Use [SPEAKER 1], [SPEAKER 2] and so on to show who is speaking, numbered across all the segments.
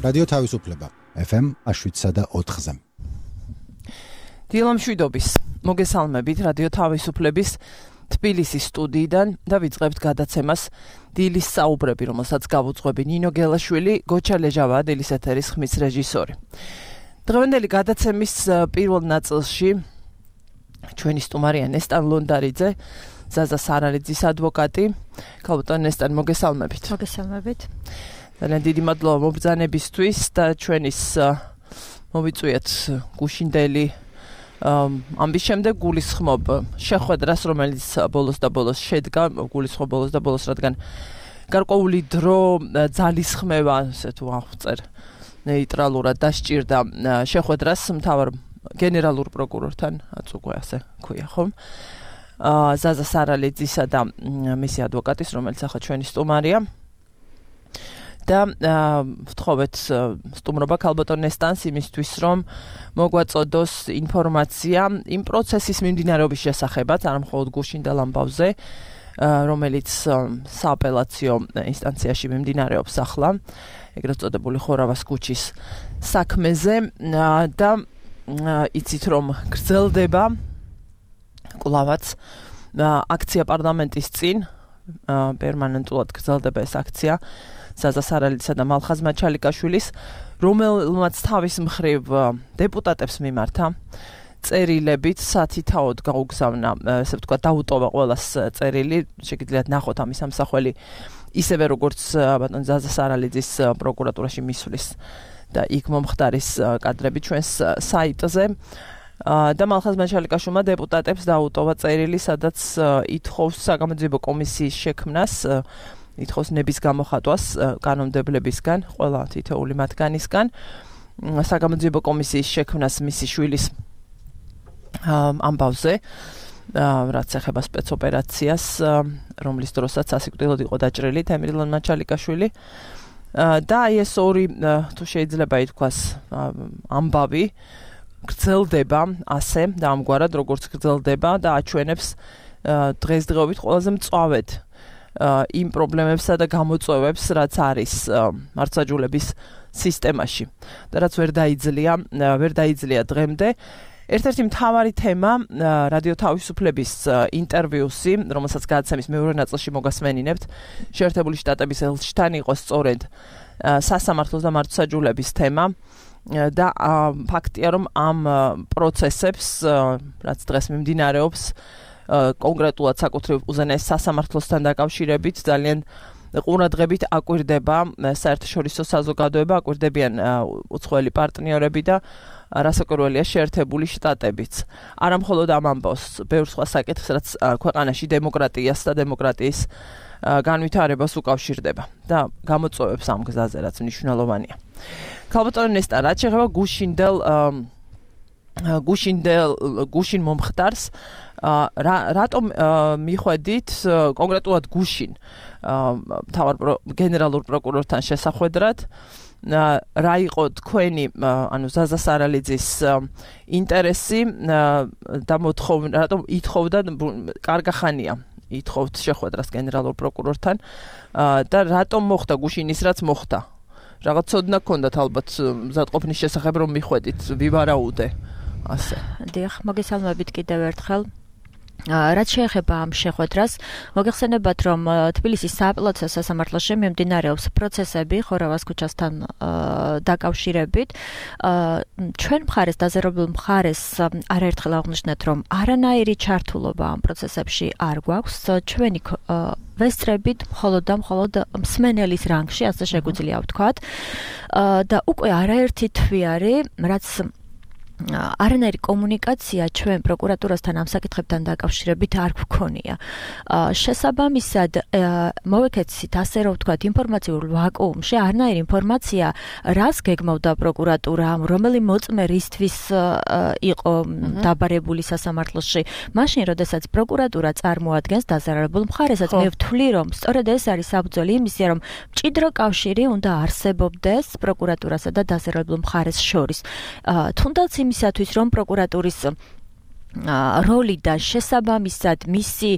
[SPEAKER 1] რადიო თავისუფლება FM 7.4-ზე.
[SPEAKER 2] დილამშვიდობის მოგესალმებით რადიო თავისუფლების თბილისის სტუდიიდან და ვიწყებთ გადაცემას დილის საუბრები, რომელსაც გავუძღვები ნინო გელაშვილი, გოჩა ლეჟავა, დილის ეთერის ხმის რეჟისორი. დღევანდელი გადაცემის პირველ ნაწილში ჩვენი სტუმარია ნესტან ლონდარიძე, ზაზა სარალიძის ადვოკატი. ქალბატონ ნესტან, მოგესალმებით.
[SPEAKER 3] მოგესალმებით.
[SPEAKER 2] ძალიან დიდი მადლობა მობრძანებისთვის და ჩვენის მოვიწვიეთ გუშინდელი ამის შემდეგ გულისხმობ შეხვედრას, რომელიც ბოლოს და ბოლოს შედგა, გულისხმობ ბოლოს და ბოლოს, რადგან გარკვეული დრო ძალისხმევა, ასე თუ აღწერ, ნეიტრალურად დასჭირდა შეხვედრას მთავარ გენერალურ პროკურორთან, უკვე ასე ქვია, ხომ? ზაზა სარალიძისა და მისი ადვოკატის, რომელიც ახლა ჩვენი სტუმარია. და ვთხოვეთ სტუმრობა ქალბატონ ნესტანს იმისთვის, რომ მოგვაწოდოს ინფორმაცია იმ პროცესის მიმდინარეობის შესახებაც, არა მხოლოდ გუშინდელ ამბავზე, რომელიც სააპელაციო ინსტანციაში მიმდინარეობს ახლა, ეგრეთ წოდებული ხორავას ქუჩის საქმეზე და იცით, რომ გრძელდება კვლავაც აქცია პარლამენტის წინ, პერმანენტულად გრძელდება ეს აქცია ზაზა სარალიძისა და მალხაზ მაჩალიკაშვილის, რომელმაც თავის მხრივ დეპუტატებს მიმართა წერილებით სათითაოდ გაუგზავნა, ესე ვთქვათ, დაუტოვა ყველას წერილი, შეგიძლიათ ნახოთ ამის ამსახველი, ისევე როგორც ბატონ ზაზა სარალიძის პროკურატურაში მისვლის და იქ მომხდარის კადრები ჩვენს საიტზე. და მალხაზ მაჩალიკაშვილმა დეპუტატებს დაუტოვა წერილი, სადაც ითხოვს საგამოძიებო კომისიის შექმნას, ითხოვს ნების გამოხატვას კანონმდებლებისგან, ყველა თითოეული მათგანისგან, საგამოძიებო კომისიის შექმნას მისი შვილის ამბავზე, რაც ეხება სპეცოპერაციას, რომლის დროსაც სასიკვდილოდ იყო დაჭრილი თემრილონ მაჩალიკაშვილი. და აი ეს ორი, თუ შეიძლება ითქვას, ამბავი გრძელდება ასე და ამგვარად, როგორც გრძელდება და აჩვენებს დღესდღეობით ყველაზე მწვავედ იმ პრობლემებსა და გამოწვევებს, რაც არის მართლმსაჯულების სისტემაში და რაც ვერ დაიძლია დღემდე. ერთ-ერთი მთავარი თემა რადიო თავისუფლების ინტერვიუსი, რომელსაც გადაცემის მეორე ნაწილში მოგასმენინებთ, შეერთებული შტატების ელჩთან იყო სწორედ სასამართლოს და მართლმსაჯულების თემა. და ფაქტია, რომ ამ პროცესებს, რაც დღეს მიმდინარეობს, კონკრეტულად საკუთრივ უზენაეს სასამართლოსთან დაკავშირებით, ძალიან ყურადღებით აკვირდება საერთაშორისო საზოგადოება, აკვირდებიან უცხოელი პარტნიორები და რასაკვირველია შეერთებული შტატებიც. არა მხოლოდ ამ ამბავს, ბევრ სხვა საკითხს, რაც ქვეყანაში დემოკრატიას და დემოკრატიის განვითარებას უკავშირდება და გამოწვევებს ამ გზაზე, რაც მნიშვნელოვანია. ქალბატონ ნესტან, რაც შეეხება გუშინ მომხდარს, რატომ მიხვედით კონკრეტულად გუშინ მთავარ გენერალურ პროკურორთან შესახვედრად, რა იყო თქვენი, ანუ ზაზა სარალიძის ინტერესი და მოთხოვნა, რატომ ითხოვდა, კარგა ხანია ითხოვთ შეხვედრას გენერალურ პროკურორთან და რატომ მოხდა გუშინ ის, რაც მოხდა? რაღაც ცოდნა გქონდათ ალბათ მზადყოფნის შესახებ, რომ მიხვედით, ვივარაუდე ასე.
[SPEAKER 3] დიახ, მოგესალმებით კიდევ ერთხელ. რაც შეეხება ამ შეხვედრას, მოგეხსენებათ, რომ თბილისის სააპელაციო სასამართლოში მიმდინარეობს პროცესები ხორავას ქუჩასთან დაკავშირებით. ჩვენ მხარეს, დაზერობილ მხარეს არაერთხელ აღვნიშნეთ, რომ არანაირი ჩართულობა ამ პროცესებში არ გვაქვს. ჩვენი ვესწრებით მხოლოდ და მხოლოდ მსმენელის რანგში, ასე შეგვიძლია ვთქვათ. და უკვე არაერთი თვე არის, რაც არანაირი კომუნიკაცია ჩვენ პროკურატურასთან ამ საკითხებთან დაკავშირებით არ გვქონია. შესაბამისად, მოვეკეცით ასე რომ ვთქვათ, ინფორმაციულ ვაკუუმში არანაირი ინფორმაცია, რას გეგმავდა პროკურატურა, რომელი მოწმერისთვის იყო დაბარებული სასამართლოში. მაშინ, როდესაც პროკურატურა წარმოადგენს დაზარალებულ მხარესაც, მე ვთვლი, რომ სწორედ ეს არის საფუძველი იმისა, რომ მჭიდრო კავშირი უნდა არსებობდეს პროკურატურასა და დაზარალებულ მხარეს შორის. თუნდაც იმისათვის, რომ პროკურატურის როლი და შესაბამისად მისი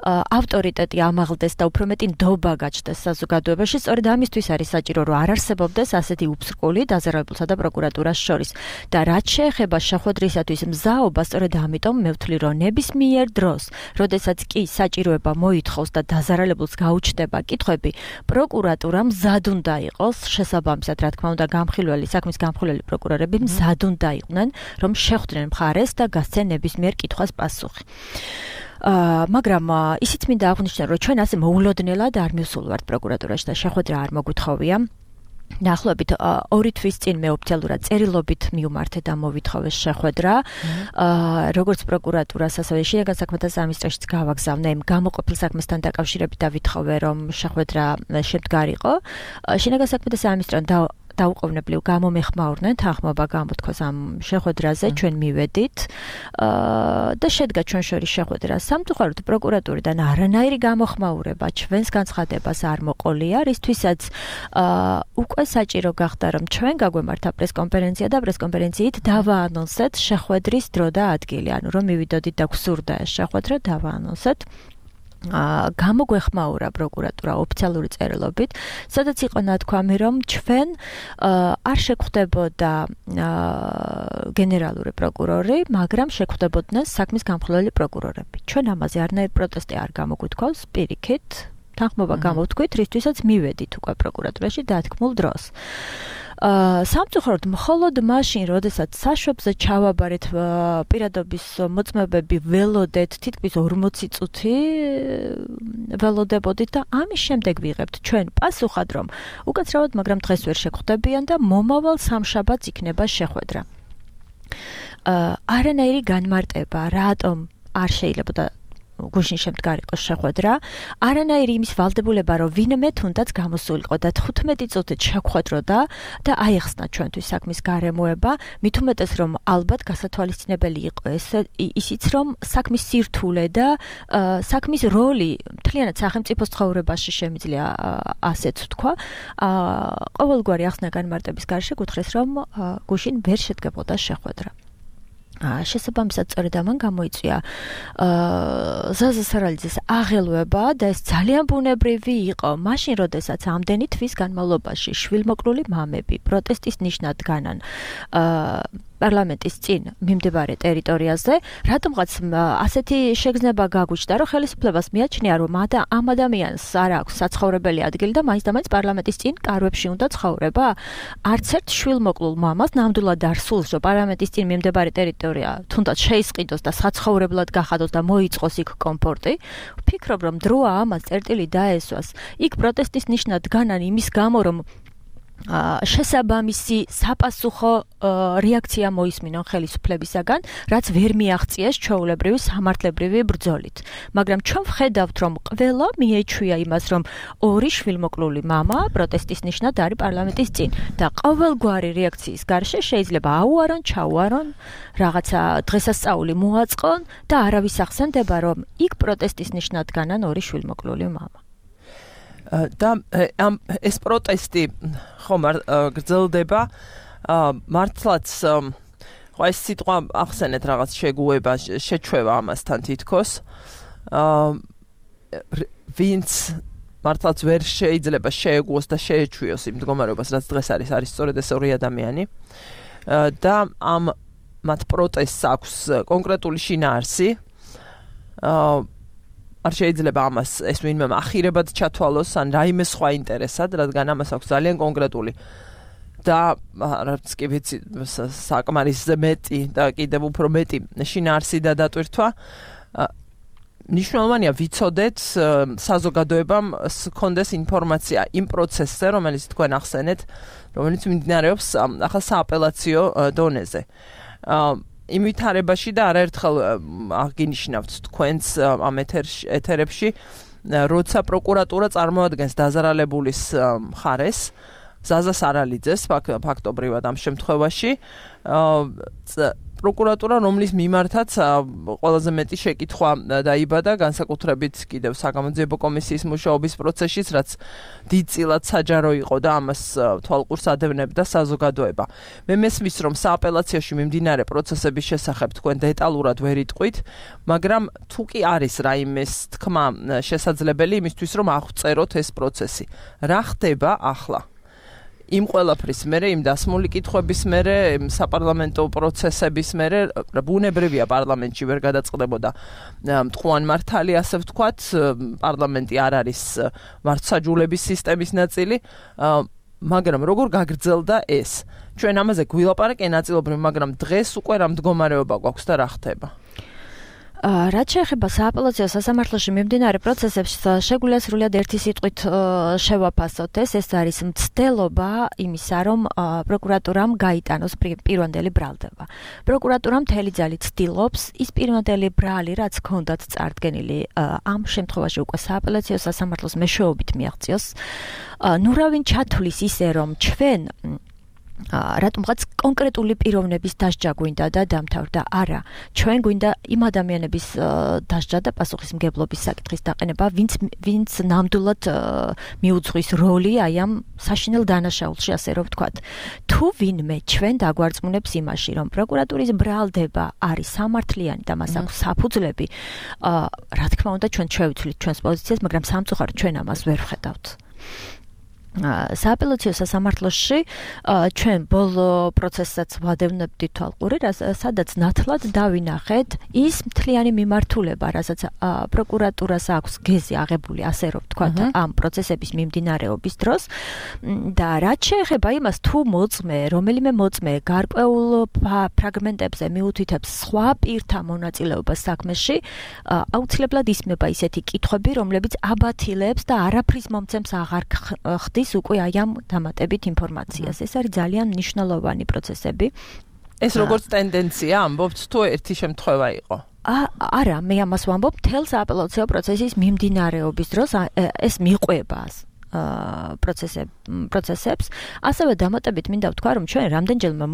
[SPEAKER 3] ავტორიტეტი ამაღლდეს და უფრო მეტი ნდობა გაჩნდეს საზოგადოებაში. სწორედ ამისთვის არის საჭირო, რომ არ არსებობდეს ასეთი უბსრკული დაზარალებულსა და პროკურატურას შორის. და რაც შეეხება შეხვედრისათვის მზაობა, სწორედ ამიტომ მე ვთვლი, რომ ნებისმიერ დროს, როდესაც კი საჭიროება მოითხოვს და დაზარალებულს გაუჩნდება კითხვები, პროკურატურა მზად უნდა იყოს, შესაბამისად, რა თქმა უნდა, საქმის გამხილველი პროკურორები მზად უნდა იყვნენ, რომ შეხვდნენ მხარეს და გასცენ ნებისმიერ კითხვას პასუხი. მაგრამ ისიც მინდა აღვნიშნო, რომ ჩვენ ასე მოულოდნელად არ მივსულვართ პროკურატურაში და შეხვედრა არ მოგვითხოვია. Ნახლობით 2 თვის წინ მე ოფიციალურად წერილობით მივმართე და მოვითხოვეს შეხვედრა. როგორც პროკურატურას, ასევე შინაგან საქმეთა სამინისტროშიც გავაგზავნე გამოყოფილ საქმესთან დაკავშირებით და ვითხოვე, რომ შეხვედრა შემდგარიყო. შინაგან საქმეთა სამინისტრომ დაუყოვნებლივ გამომეხმაურნენ, თანხმობა გამოთქვას ამ შეხვედრაზე, ჩვენ მივედით და შედგა ჩვენ შორის შეხვედრა. სამწუხაროდ პროკურატურიდან არანაირი გამოხმაურება ჩვენს განცხადებას არ მოყოლია, რისთვისაც უკვე საჭირო გახდა, რომ ჩვენ გაგვემართა პრესკონფერენცია და პრესკონფერენციით დავაანონსეთ შეხვედრის დრო და ადგილი, ანუ რომ მივიდოდით და გვსურდა ეს შეხვედრა დავაანონსეთ. გამოგვეხმაურა პროკურატურა ოფიციალური წერილობით, სადაც იყო ნათქვამი, რომ ჩვენ არ შეგვხვდებოდა გენერალური პროკურორი, მაგრამ შეგვხვდებოდნენ საქმის გამხილველი პროკურორები. ჩვენ ამაზე არანაირი პროტესტი არ გამოგვითქვავს, პირიქით, თანხმობა გამოვთქვით, რისთვისაც მივედით უკვე პროკურატურაში დათქმულ დროს. სამწუხაროდ მხოლოდ მაშინ, როდესაც საშვებზე ჩავაბარეთ პირადობის მოწმობები ველოდეთ, თითქმის 40 წუთი ველოდებოდით და ამის შემდეგ ვიღებთ ჩვენ პასუხად, რომ უკაცრავად, მაგრამ დღეს ვერ შეხვდებიან და მომავალ სამშაბათს იქნება შეხვედრა. არანაირი განმარტება, რატომ არ შეიძლება და გუშინ შემდგარიყო შეხვედრა, არანაირი იმის ვალდებულება, რომ ვინმე თუნდაც გამოსულიყო და 15 წუთით შეხვედროდა და აიხსნა ჩვენთვის საქმის გარემოება, მით უმეტეს, რომ ალბათ გასათვალისწინებელი იყო ისიც, რომ საქმის სირთულე და საქმის როლი მთლიანად სახელმწიფოს ცხოვრებაში შემიძლია ასეც ვთქვა. ყოველგვარი ახსნა განმარტების გარშე გუთხრეს, რომ გუშინ ვერ შედგებოდა შეხვედრა. შესაბამისად სწორედ ამან გამოიწვია ზაზა სარალიძის აღელვება და ეს ძალიან ბუნებრივი იყო. მაშინ, როდესაც ამდენი თვის განმავლობაში შვილმოკლული მამები პროტესტის ნიშნად განან პარლამენტის წინ მიმდებარე ტერიტორიაზე, რატომღაც ასეთი შეგრძნება გაგუჩნდა, რომ ხელისუფლებას მიაჩნია, რომ ამ ადამიანს არ აქვს საცხოვრებელი ადგილი და მაინც და მაინც პარლამენტის წინ კარვებში უნდა ცხოვრება. არც ერთ შვილმოკლულ მამას ნამდვილად არ სურს, რომ პარლამენტის წინ მიმდებარე ტერიტორია თუნდაც შეისყიდოს და საცხოვრებლად გახადოს და მოიწყოს იქ კომფორტი. ვფიქრობ, რომ დროა ამას წერტილი დაესვას. იქ პროტესტის ნიშნად განან იმის გამო, რომ შესაბამისი sapasukho რეაქცია მოისმინონ ხელისუფლებისაგან, რაც ვერ მიაღწიეს ჩვეულებრივი სამართლებრივი ბრძოლით. მაგრამ ჩვენ ვხედავთ, რომ ყველა მიეჩვია იმას, რომ ორი შვილმოკლული მამა პროტესტის ნიშნად არის პარლამენტის წინ და ყოველგვარი რეაქციის გარშე შეიძლება აუარონ, ჩაუარონ, რაღაცა დღესასწაული მოაწყონ და არავის ახსენდება, რომ იქ პროტესტის ნიშნად განან ორი შვილმოკლული მამა.
[SPEAKER 2] და ეს პროტესტი ხომ გრძელდება მართლაც ხო ეს სიტყვა ახსენეთ რაღაც შეგუება შეჩვევა ამასთან თითქოს ვინც მართლაც ვერ შეიძლება შეეგუოს და შეეჩვიოს იმ მდგომარეობას რაც დღეს არის სწორედ ეს ორი ადამიანი და ამ მათ პროტესტს აქვს კონკრეტული შინაარსი არ შეიძლება ამას ეს ვინმე ახირებად ჩათვალოს ან რაიმე სხვა ინტერესად, რადგან ამას აქვს ძალიან კონკრეტული და რაც კი ვიცი საკმარისზე მეტი და კიდევ უფრო მეტი შინაარსი და დატვირთვა. მნიშვნელოვანია ვიცოდეთ საზოგადოებამ ჰქონდეს ინფორმაცია იმ პროცესზე, რომელიც თქვენ ახსენეთ, რომელიც მიმდინარეობს ახლა სააპელაციო დონეზე. იმ ვითარებაში და არაერთხელ აღინიშნავთ თქვენს ამ ეთერებში, როცა პროკურატურა წარმოადგენს დაზარალებულის მხარეს, ზაზა სარალიძეს ფაქტობრივად ამ შემთხვევაში, პროკურატურა, რომლის მიმართაც ყველაზე მეტი შეკითხვა დაიბადა, განსაკუთრებით კიდევ საგამოძიებო კომისიის მუშაობის პროცესშიც, რაც დიდწილად საჯარო იყო და ამას თვალყურს ადევნებდა საზოგადოება. მე მესმის, რომ სააპელაციოში მიმდინარე პროცესების შესახებ თქვენ დეტალურად ვერ იტყვით, მაგრამ თუ კი არის რაიმეს თქმა შესაძლებელი იმისთვის, რომ აღწეროთ ეს პროცესი. რა ხდება ახლა? იმ ყველაფრის მერე, იმ დასმული კითხვების მერე, საპარლამენტო პროცესების მერე, ბუნებრივია პარლამენტში ვერ გადაწყდებოდა მტყუან მართალი, ასე ვთქვათ, პარლამენტი არ არის მართლმსაჯულების სისტემის ნაწილი, მაგრამ როგორ გაგრძელდა ეს? ჩვენ ამაზე გვილაპარაკე ნაწილობრივ, მაგრამ დღეს უკვე რა მდგომარეობა გვაქვს და რა ხდება?
[SPEAKER 3] რაც შეეხება სააპელაციო სასამართლოში მიმდინარე პროცესებს, შეგვიძლია სრულად ერთი სიტყვით შევაფასოთ ეს არის მცდელობა იმისა, რომ პროკურატურამ გაიტანოს პირვანდელი ბრალდება. პროკურატურა მთელი ძალით ცდილობს ის პირვანდელი ბრალი, რაც ჰქონდათ წარდგენილი, ამ შემთხვევაში უკვე სააპელაციო სასამართლოს მეშვეობით მიაღწიოს. ნუ რავინ ჩათვლის ისე, რომ ჩვენ რატომღაც კონკრეტული პიროვნების დასჯა გვინდა და დამთავრდა. არა, ჩვენ გვინდა იმ ადამიანების დასჯა და პასუხისმგებლობის საკითხის დაყენება, ვინც ნამდვილად მიუძღვის როლი აი ამ საშინელ დანაშაულში, ასე რომ ვთქვათ. თუ ვინმე ჩვენ დაგვარწმუნებს იმაში, რომ პროკურატურის ბრალდება არის სამართლიანი და მას აქვს საფუძვლები, რა თქმა უნდა ჩვენ შევიცვლით ჩვენს პოზიციას, მაგრამ სამწუხაროდ ჩვენ ამას ვერ ვხედავთ. სააპელაციო სასამართლოში ჩვენ ბოლო პროცესსაც ვადევნებდით თვალყური, სადაც ნათლად დავინახეთ ის მთლიანი მიმართულება, რასაც პროკურატურას აქვს გეზი აღებული, ასე რომ ვთქვათ, ამ პროცესების მიმდინარეობის დროს და რაც შეეხება იმას, თუ მოწმე, რომელიმე მოწმე გარკვეულ ფრაგმენტებზე მიუთითებს სხვა პირთა მონაწილეობას საქმეში, აუცილებლად ისმება ისეთი კითხვები, რომლებიც აბათილებს და არაფრის მომცემს აღარ ხდის უკვე აი ამ დამატებით ინფორმაციას. ეს არის ძალიან მნიშვნელოვანი პროცესები.
[SPEAKER 2] ეს როგორც ტენდენცია ამბობთ, თუ ერთი შემთხვევა იყო?
[SPEAKER 3] არა, მე ამას ვამბობ მთელ სააპელაციო პროცესის მიმდინარეობის დროს ეს მიყვება პროცესებს. ასევე დამატებით მინდა ვთქვა, რომ ჩვენ რამდენჯერმე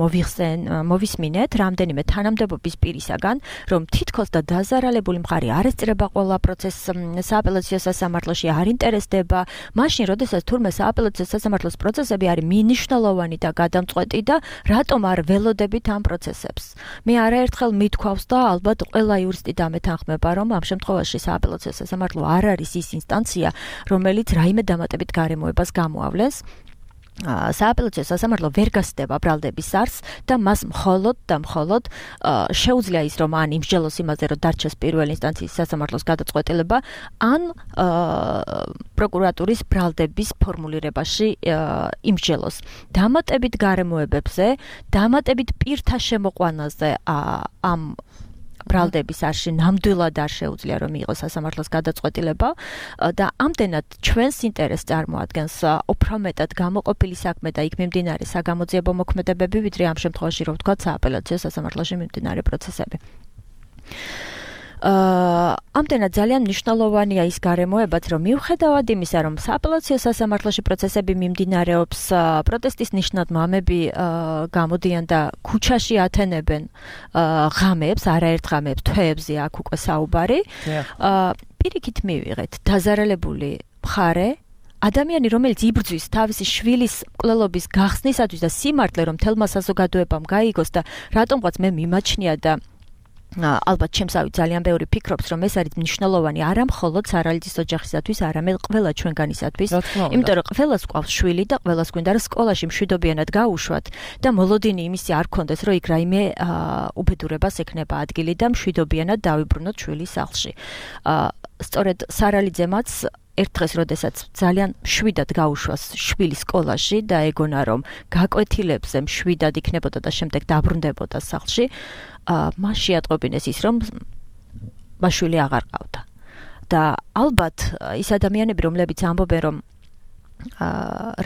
[SPEAKER 3] მოვისმინეთ რამდენიმე თანამდებობის პირისაგან, რომ თითქოს და დაზარალებული მხარე არ ესწრება ყველა პროცესს სააპელაციო სასამართლოში, არ ინტერესდება, მაშინ, როდესაც თურმე სააპელაციო სასამართლოს პროცესები არის მნიშვნელოვანი და გადამწყვეტი და რატომ არ ველოდებით ამ პროცესებს. მე არაერთხელ მithქვავს და ალბათ ყველა იურისტი დამეთანხმება, რომ ამ შემთხვევაში სააპელაციო სასამართლო არ არის ის ინსტანცია, რომელიც რაიმე დამატებით გარემოებას გამოავლენს. სააპელაციო სასამართლო ვერ გასდება ბრალდების არსს და მას მხოლოდ შეუძლია ის, რომ ან იმსჯელოს იმაზე, რომ დარჩეს პირველი ინსტანციის სასამართლოს გადაწყვეტილება, ან პროკურატურის ბრალდების ფორმულირებაში იმსჯელოს. დამატებით გარემოებებზე, დამატებით პირთა შემოყვანაზე ამ ბრალდების არში ნამდვილად არ შეუძლია რომ იყოს სასამართლოს გადაწყვეტილება და ამდენად ჩვენს ინტერესს წარმოადგენს უფრო მეტად გამოყოფილი საქმე და იქ მიმდინარე საგამოძიებო მოქმედებები, ვიდრე ამ შემთხვევაში რომ ვთქვათ სააპელაციო სასამართლოში მიმდინარე პროცესები. ამდენად ძალიან მნიშვნელოვანია ის გარემოებაც, რომ მიუხედავად იმისა, რომ სააპელაციო სასამართლოში პროცესები მიმდინარეობს, პროტესტის ნიშნად მამები გამოდიან და ქუჩაში ათენებენ ღამეებს, არაერთ ღამეებს, თვეებზე აქ უკვე საუბარი. პირიქით მივიღეთ დაზარალებული მხარე, ადამიანი, რომელიც იბრძვის თავისი შვილის მკვლელობის გახსნისათვის და სიმართლე, რომ თელმა საზოგადოებამ გაიგოს და რატომღაც მე მიმაჩნია და ალბათ ჩემსავით ძალიან ბევრი ფიქრობს, რომ ეს არის მნიშვნელოვანი არა მხოლოდ სარალიძის ოჯახისათვის, არამედ ყველა ჩვენგანისათვის, იმიტომ რომ ყველას გვყავს შვილი და ყველას გვინდა რომ სკოლაში მშვიდობიანად გაუშვათ და მოლოდინი იმისი არ გქონდეს, რომ იქ რაიმე უბედურებას ექნება ადგილი და მშვიდობიანად დავიბრუნოთ შვილის სახლში. სწორედ სარალიძემაც ერთ დღეს, როდესაც ძალიან მშვიდად გაუშვას შვილი სკოლაში და ეგონა რომ გაკვეთილებზე მშვიდად იქნებოდა და შემდეგ დაბრუნდებოდა სახლში, მას შეატყობინეს ის, რომ მაშვილი აღარ ყავდა. და ალბათ ის ადამიანები, რომლებიც ამბობენ, რომ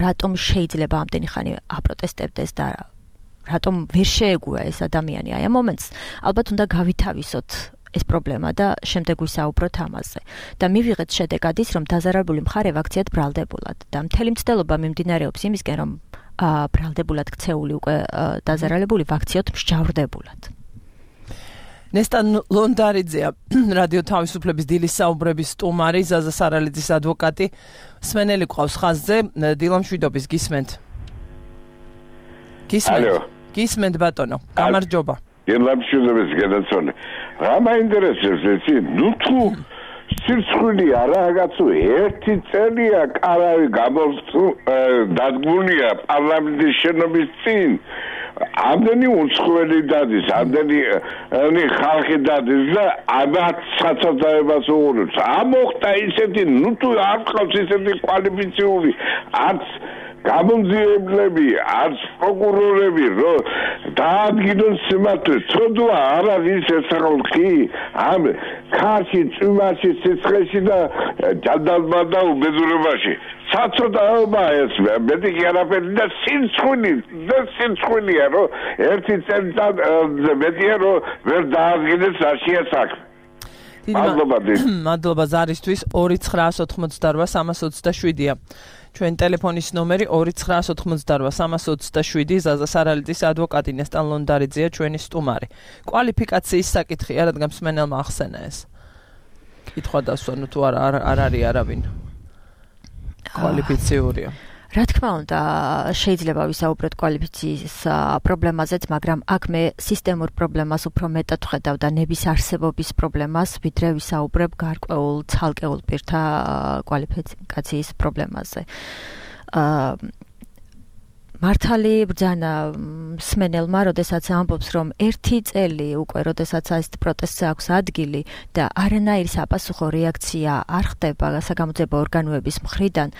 [SPEAKER 3] რატომ შეიძლება ამდენი ხანი აპროტესტებდეს და რატომ ვერ შეეგუა ეს ადამიანი აი ამ მომენტს, ალბათ უნდა გავითავისოთ ეს პრობლემა და შემდეგ ვისაუბროთ ამაზე. და მივიღეთ შედეგად ის, რომ დაზარალებული მხარე ვაქციად ბრალდებულად და მთელი მცდელობა მიმდინარეობს იმისკენ, რომ ბრალდებულად ქცეული უკვე დაზარალებული ვაქციოთ მსჯავრდებულად.
[SPEAKER 2] ნესტან ლონდარიძეა რადიო თავისუფლების დილის საუბრების სტუმარი, ზაზა სარალიძის ადვოკატი. სმენელი ყავს ხაზზე, დილამშვიდობის გისმენთ. გისმენთ ბატონო, გამარჯობა.
[SPEAKER 4] დილამშვიდობის გადაცოლა. რა მაინტერესებს ეს? ნუ თუ სირცხვილია რაღაცა ერთი წელია კარავი დადგმულია პარლამენტის შენობის წინ. ამდენი უცხოელი დადის, ამდენი ხალხი დადის და ამათ საცადაებას უყურებს. ამოხდა ისეთი, ნუ თუ არ ყავს ისეთი კვალიფიციური, არც გამომძიებლები, არც პროკურორები, რომ დაადგინონ სიმართლე. ცოდვა არ არის ეს ხალხი, ამ ქარში, წვიმაში, სიცხეში და ჯანდალმა და უბედურებაში. საცოდაობა ეს მეტი არაფერი და სინცხვილია, რომ ერთი წელიწად მეტია, რომ ვერ დაადგინეს რაშია საქმე.
[SPEAKER 2] მადლობა ზარისთვის 2988327-ია. ჩვენ ტელეფონის ნომერი 2988327 ზაზა სარალიძის ადვოკატი ნესტან ლონდარიძეა ჩვენი სტუმარი. კვალიფიკაციის საკითხია, რადგან მსმენელმა ახსენა ეს. კითხვა დასვა, ნუ თუ არ არის არავინ კვალიფიციურია.
[SPEAKER 3] რა თქმა უნდა, შეიძლება ვისაუბროთ კვალიფიციის პრობლემაზეც, მაგრამ აქ მე სისტემურ პრობლემას უფრო მეტად ვხედავ და ნების არსებობის პრობლემას, ვიდრე ვისაუბრებ გარკვეულ ცალკეულ პირთა კვალიფიკაციის პრობლემაზე. მართალი ბრძანა სმენელმა, როდესაც ამბობს, რომ ერთი წელი უკვე, როდესაც ეს პროტესტზე აქვს ადგილი და არანაირი საპასუხო რეაქცია არ ხდება საგამოძიებო ორგანოების მხრიდან,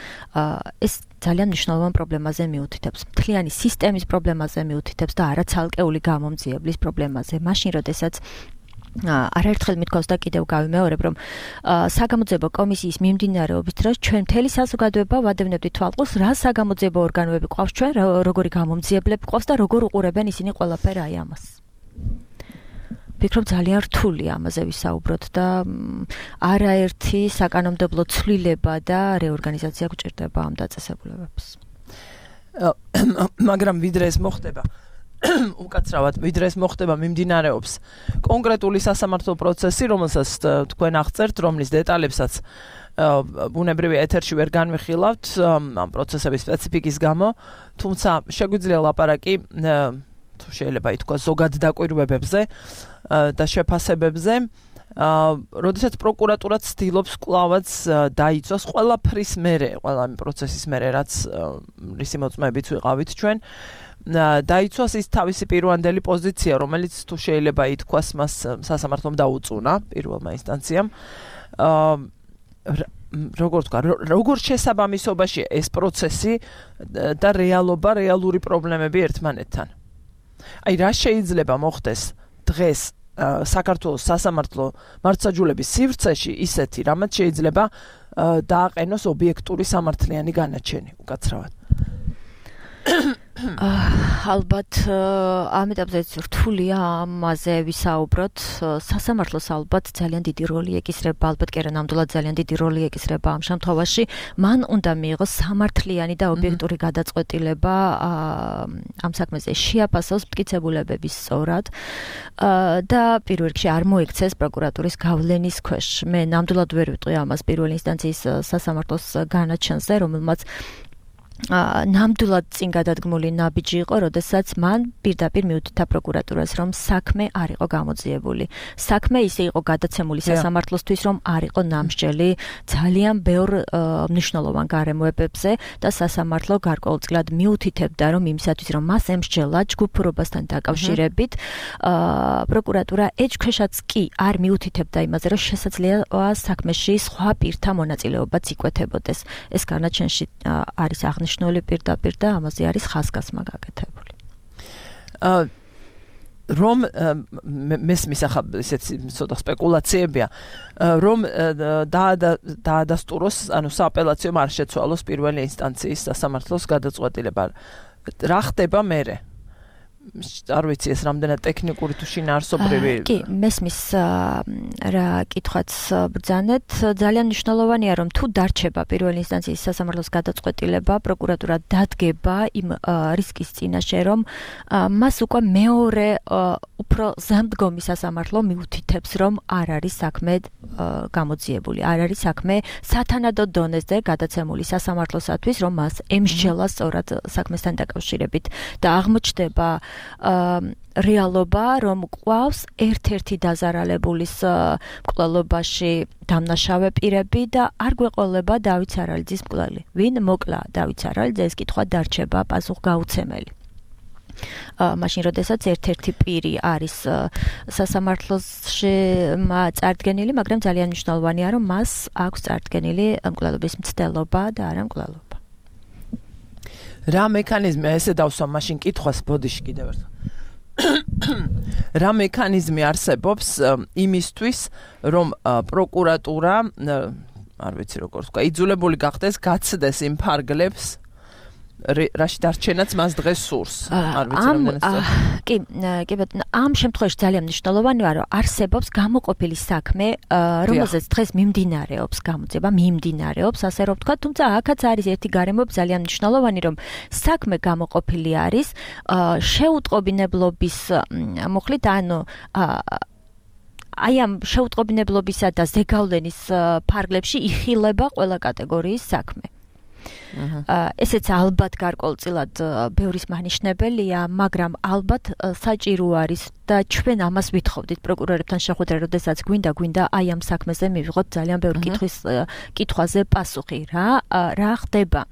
[SPEAKER 3] ეს ძალიან მნიშვნელოვან პრობლემაზე მიუთითებს. მთლიანი სისტემის პრობლემაზე მიუთითებს და არა ცალკეული გამომძიებლის პრობლემაზე. მაშინ, როდესაც არაერთხელ მithქვავს და კიდევ გავიმეორებ, რომ საგამოძიებო კომისიის მიმდინარეობის დროს ჩვენ მთელი საზოგადოება ვადევნებდით თვალყურს, რა საგამოძიებო ორგანოები ყავს ჩვენ, როგორი გამომძიებლები ყავს და როგორ უყურებენ ისინი ყველაფერ აი ამას. ვფიქრობ ძალიან რთულია ამაზე ვისაუბროთ და არაერთი საკანონმდებლო ცვლილება და რეორგანიზაცია გვჭირდება ამ დაწესებულებებს.
[SPEAKER 2] მაგრამ ვიდრე ეს მოხდება უკაცრავად ვიდრე ეს მოხდება მიმდინარეობს კონკრეტული სასამართლო პროცესი, რომელსაც თქვენ აღწერთ, რომლის დეტალებსაც ბუნებრივი ეთერში ვერ განვიხილავთ ამ პროცესების სპეციფიკის გამო, თუმცა შეგვიძლია ლაპარაკი თუ შეიძლება ითქვას ზოგად დაკვირვებებზე და შეფასებებზე, როდესაც პროკურატურა ცდილობს კვლავაც დაიცვას ყველაფრის მერე, ყველა ამ პროცესის მერე, რაც რისი მოწმეებით ვიყავით ჩვენ, დაიცვას ის თავისი პირვანდელი პოზიცია, რომელიც თუ შეიძლება ითქვას მას სასამართლომ დაუწუნა პირველმა ინსტანციამ. როგორ თქვა, როგორ შესაბამისობაში ეს პროცესი და რეალობა, რეალური პრობლემები ერთმანეთთან. აი რა შეიძლება მოხდეს დღეს საქართველოს სასამართლო მართლმსაჯულების სივრცეში ისეთი, რამაც შეიძლება დააყენოს ობიექტური სამართლიანი განაჩენი უკაცრავად.
[SPEAKER 3] ალბათ ამ ეტაპზე რთულია ამაზე ვისაუბროთ. სასამართლოს ალბათ ძალიან დიდი როლი ეკისრება, ალბათ კი არა ნამდვილად ძალიან დიდი როლი ეკისრება ამ შემთხვევაში. მან უნდა მიიღოს სამართლიანი და ობიექტური გადაწყვეტილება ამ საქმეზე, შეაფასოს მტკიცებულებების სწორად და პირველ რიგში არ მოიქცეს პროკურატურის გავლენის ქვეშ. მე ნამდვილად ვერ ვიტყვი ამას პირველი ინსტანციის სასამართლოს განაჩენზე, რომელმაც ნამდვილად წინ გადადგმული ნაბიჯი იყო, როდესაც მან პირდაპირ მიუთითა პროკურატურას, რომ საქმე არ იყო გამოძიებული. საქმე ისე იყო გადაცემული სასამართლოსთვის, რომ არ იყო ნამსჯელი ძალიან ბევრ მნიშვნელოვან გარემოებებზე და სასამართლო გარკვეულწილად მიუთითებდა, რომ იმისათვის, რომ მას ემსჯელა ჯგუფურობასთან დაკავშირებით, პროკურატურა ეჭქვეშაც კი არ მიუთითებდა იმაზე, რომ შესაძლოა საქმეში სხვა პირთა მონაწილეობაც იკვეთებოდეს. ეს განაჩენში არის აღნიშნული პირდაპირ და ამაზე არის ხაზგასმა გაკეთებული.
[SPEAKER 2] რომ მესმის ახლა ესეთი ცოტა სპეკულაციებია, რომ დაადასტუროს, ანუ სააპელაციო არ შეცვალოს პირველი ინსტანციის სასამართლოს გადაწყვეტილება. რა ხდება მერე? არ ვიცი ეს რამდენად ტექნიკური თუ შინაარსობრივი.
[SPEAKER 3] კი, მესმის რა კითხვაც ბრძანეთ, ძალიან მნიშვნელოვანია რომ თუ დარჩება პირველი ინსტანციის სასამართლოს გადაწყვეტილება, პროკურატურა დადგება იმ რისკის წინაშე, რომ მას უკვე მეორე უფრო ზემდგომი სასამართლო მიუთითებს, რომ არ არის საქმე გამოძიებული, არ არის საქმე სათანადო დონეზე გადაცემული სასამართლოსათვის, რომ მას ემსჯელა სწორად საქმესთან დაკავშირებით და აღმოჩნდება რეალობა, რომ ყავს ერთ-ერთი დაზარალებულის მკვლელობაში დამნაშავე პირები და არ გვეყოლება დავით სარალიძის მკვლელი. ვინ მოკლა დავით სარალიძე, ეს კითხვა დარჩება პასუხგაუცემელი. მაშინ როდესაც ერთ-ერთი პირი არის სასამართლოში წარდგენილი, მაგრამ ძალიან მნიშვნელოვანია, რომ მას აქვს წარდგენილი მკვლელობის მცდელობა და არა მკვლელობა.
[SPEAKER 2] რა მექანიზმია ესე დავსვამ მაშინ კითხვას ბოდიში კიდევ ერთხელ. რა მექანიზმი არსებობს იმისთვის, რომ პროკურატურა, არ ვიცი როგორ თქვა, იძულებული გახდეს გაცდეს იმ ფარგლებს, რაში დარჩენაც მას დღეს სურს. არ ვიცი რამდენად.
[SPEAKER 3] კი, ამ შემთხვევაში ძალიან მნიშვნელოვანია, რომ არსებობს გამოყოფილი საქმე, რომელზეც დღეს მიმდინარეობს გამოძიება, ასე რომ ვთქვა, თუმცა აქაც არის ერთი გარემო ძალიან მნიშვნელოვანი, რომ საქმე გამოყოფილი არის შეუტყობინებლობის მოხლით, ანუ აი ამ შეუტყობინებლობისა და ზეგავლენის ფარგლებში იხილება ყველა კატეგორიის საქმე. ესეც ალბათ გარკვეულწილად ბევრის მანიშნებელია, მაგრამ ალბათ საჭირო არის და ჩვენ ამას ვითხოვდით პროკურორებთან შეხვედრა, როდესაც გვინდა აი ამ საქმეზე მივიღოთ ძალიან ბევრი კითხვაზე პასუხი, რა ხდება.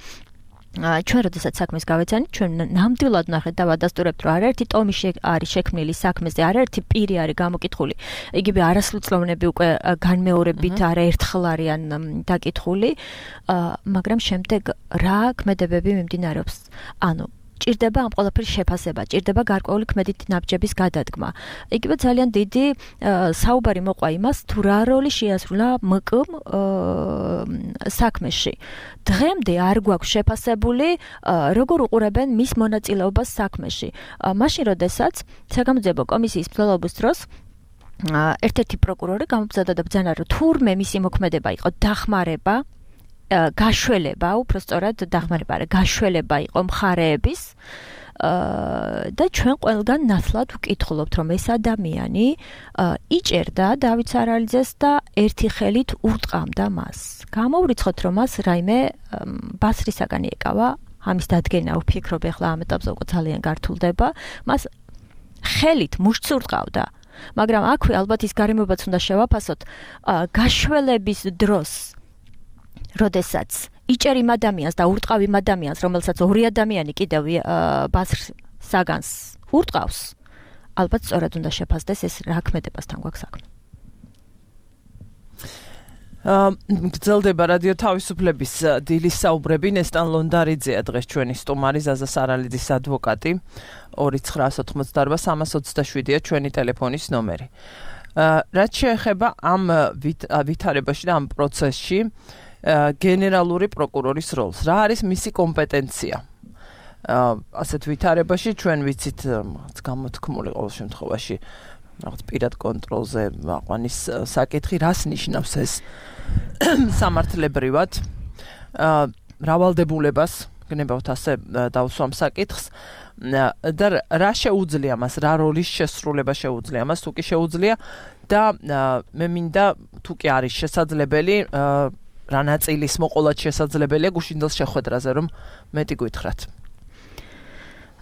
[SPEAKER 3] ჩვენ როდესაც საქმეს გავეცანით, ჩვენ ნამდვილად ნახეთ და ვადასტურებთ, რომ არაერთი ტომი არის შექმნილი საქმეზე, არაერთი პირი არის გამოკითხული. იგივე არასრულწლოვნები უკვე განმეორებით არაერთხელ არიან დაკითხული, მაგრამ შემდეგ რა ქმედებები მიმდინარეობს. ანუ ჭირდება ამ ყველაფრის შეფასება, ჭირდება გარკვეული ქმედითი ნაბიჯების გადადგმა. იგივე ძალიან დიდი საუბარი მოყვა იმას, თუ რა როლი შეასრულა მკ-მ საქმეში. დღემდე არ გვაქვს შეფასებული, როგორ უყურებენ მის მონაწილეობას საქმეში. მაშინ, როდესაც საგამოძიებო კომისიის მცდელობის დროს ერთ-ერთი პროკურორი გამობრძადა და ბრძანა, რომ თურმე მისი მოქმედება იყო დახმარება, გაშველება, უпростоრად დახმარება, გაშველება იყო მხარეების და ჩვენ ყველგან ნათლად ვკითხულობთ, რომ ეს ადამიანი იჭერდა დავით სარალიძეს და ერთი ხელით ურტყამდა მას. გამოვრიცხოთ, რომ მას რაიმე ბასრისაგანი ეკავა, ამის დადგენა ვფიქრობ, ახლა ამ ეტაპზე უკვე ძალიან გართულდება, მას ხელით მუშტს ურტყავდა. მაგრამ აქვე ალბათ ის გარემოებაც უნდა შევაფასოთ, გაშველების დროს როდესაც იჭერ იმ ადამიანს და ურტყავ იმ ადამიანს, რომელსაც ორი ადამიანი კიდევ ბასრს საგანს ურტყავს, ალბათ სწორად უნდა შეფასდეს ეს რა ქმედებასთან გვაქვს საქმე.
[SPEAKER 2] გრძელდება რადიო თავისუფლების დილის საუბრები. ნესტან ლონდარიძეა დღეს ჩვენი სტუმარი, ზაზა სარალიძის ადვოკატი. 2988327-ია ჩვენი ტელეფონის ნომერი. რაც შეეხება ამ ვითარებაში და ამ პროცესში გენერალური პროკურორის როლს. რა არის მისი კომპეტენცია? ასეთ ვითარებაში ჩვენ ვიცით გამოთქმული ყოველ შემთხვევაში რაღაც პირად კონტროლზე აყვანის საკითხი, რას ნიშნავს ეს სამართლებრივად? მრავალდებულებას გნებავთ ასე დავსვამ საკითხს და რა შეუძლია მას, რა როლის შესრულება შეუძლია მას, თუ კი შეუძლია და მე მინდა თუ კი არის შესაძლებელი რა ნაწილის მოყოლად შესაძლებელია გუშინდელს შეხვედრაზე, რომ მეტი გითხრათ.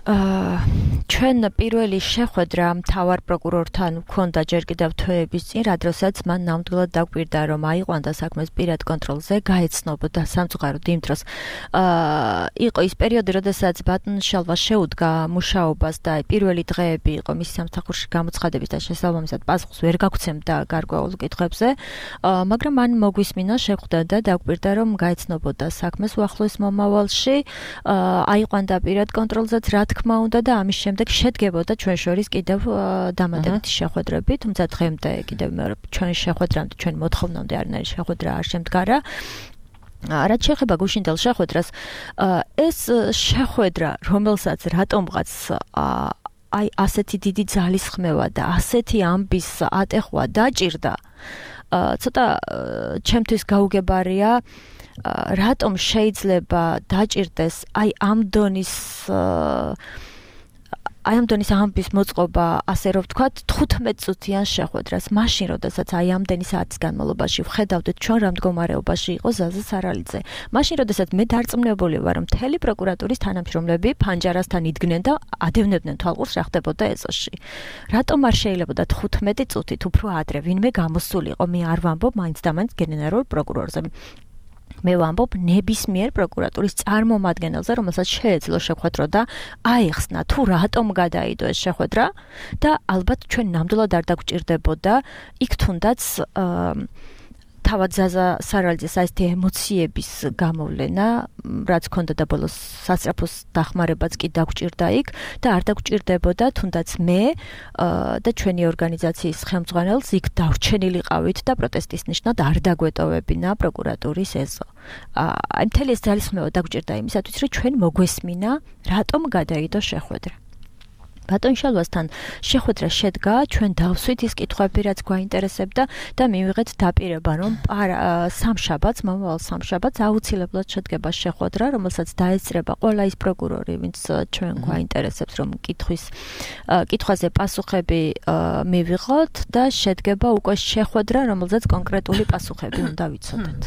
[SPEAKER 3] ჩვენ პირველი შეხვედრა მთავარ პროკურორთან გვქონდა ჯერ კიდევ თვეების წინ, რადგანაც მან ნამდვილად დაგვირდა, რომ აიყვანდა საქმეს პირად კონტროლზე, გაეცნობოდა სამწუხაროდ იმ დროს. იყო ის პერიოდი, როდესაც ბატონშალვა შეუდგა მუშაობას და პირველი დღეები იყო მისი სამსახურში გამოცხადების და შესაბამისად პასუხს ვერ გაგვცემდა გარკვეულ კითხვებზე, მაგრამ მან მოგვისმინა, შეხვდა და დაგვირდა, რომ გაეცნობოდა საქმეს უახლოეს მომავალში, აიყვანდა პირად კონტროლზეც, რა თქმა უნდა და ამის შემდეგ შედგებოდა ჩვენ შორის კიდევ დამატებითი შეხვედრები, თუმცა დღემდე კიდევ მეორე ჩვენი შეხვედრამდე, ჩვენი მოთხოვნამდე არანაირი შეხვედრა არ შემდგარა. რაც შეეხება გუშინდელ შეხვედრას, ეს შეხვედრა, რომელსაც რატომღაც აი ასეთი დიდი ძალისხმევა და ასეთი ამბის ატეხვა დაჭირდა. ცოტა ჩემთვის გაუგებარია რატომ შეიძლება დაჭირდეს აი ამ დონის ამბის მოწყობა, ასე რომ ვთქვათ, 15 წუთიან შეხვედრას, მაშინ როდესაც აი ამდენი საათის განმავლობაში ვხედავდით ჩვენ რა მდგომარეობაში იყო ზაზა სარალიძე. მაშინ როდესაც მე დარწმუნებული ვარ, რომ მთელი პროკურატურის თანამშრომლები ფანჯარასთან იდგნენ და ადევნებდნენ თვალყურს რა ხდებოდა ეზოში. რატომ არ შეიძლებოდა 15 წუთით უფრო ადრე ვინმე გამოსულიყო? მე არ ვამბობ მაინც და მაინც გენერალურ პროკურორზე. მე ვამბობ ნებისმიერ პროკურატურის წარმომადგენელზე, რომელსაც შეეძლო შეხვედრა და აიხსნა თუ რატომ გადაიდო ეს შეხვედრა და ალბათ ჩვენ ნამდვილად არ დაგვჭირდებოდა იქ თუნდაც თავად ზაზა სარალიძეს ასეთი ემოციების გამოვლენა, რაც ჰქონდა და ბოლოს სასწრაფოს დახმარებაც კი დაგვჭირდა იქ და არ დაგვჭირდებოდა თუნდაც მე და ჩვენი ორგანიზაციის ხელმძღვანელს იქ დავრჩენილიყავით და პროტესტის ნიშნად არ დაგვეტოვებინა პროკურატურის ეზო. აი მთელი ეს ძალისხმევა დაგვჭირდა იმისათვის, რომ ჩვენ მოგვესმინა, რატომ გადაიდო შეხვედრა. ბატონ შალვასთან შეხვედრა შედგა, ჩვენ დავსვით ის კითხვები, რაც გვაინტერესებდა და მივიღეთ დაპირება, რომ სამშაბათს, მომავალ სამშაბათს აუცილებლად შედგება შეხვედრა, რომელსაც დაესწრება ყველა ის პროკურორი, ვინც ჩვენ გვაინტერესებს, რომ კითხვაზე პასუხები მივიღოთ და შედგება უკვე შეხვედრა, რომელზეც კონკრეტული პასუხები უნდა ვიცოდეთ.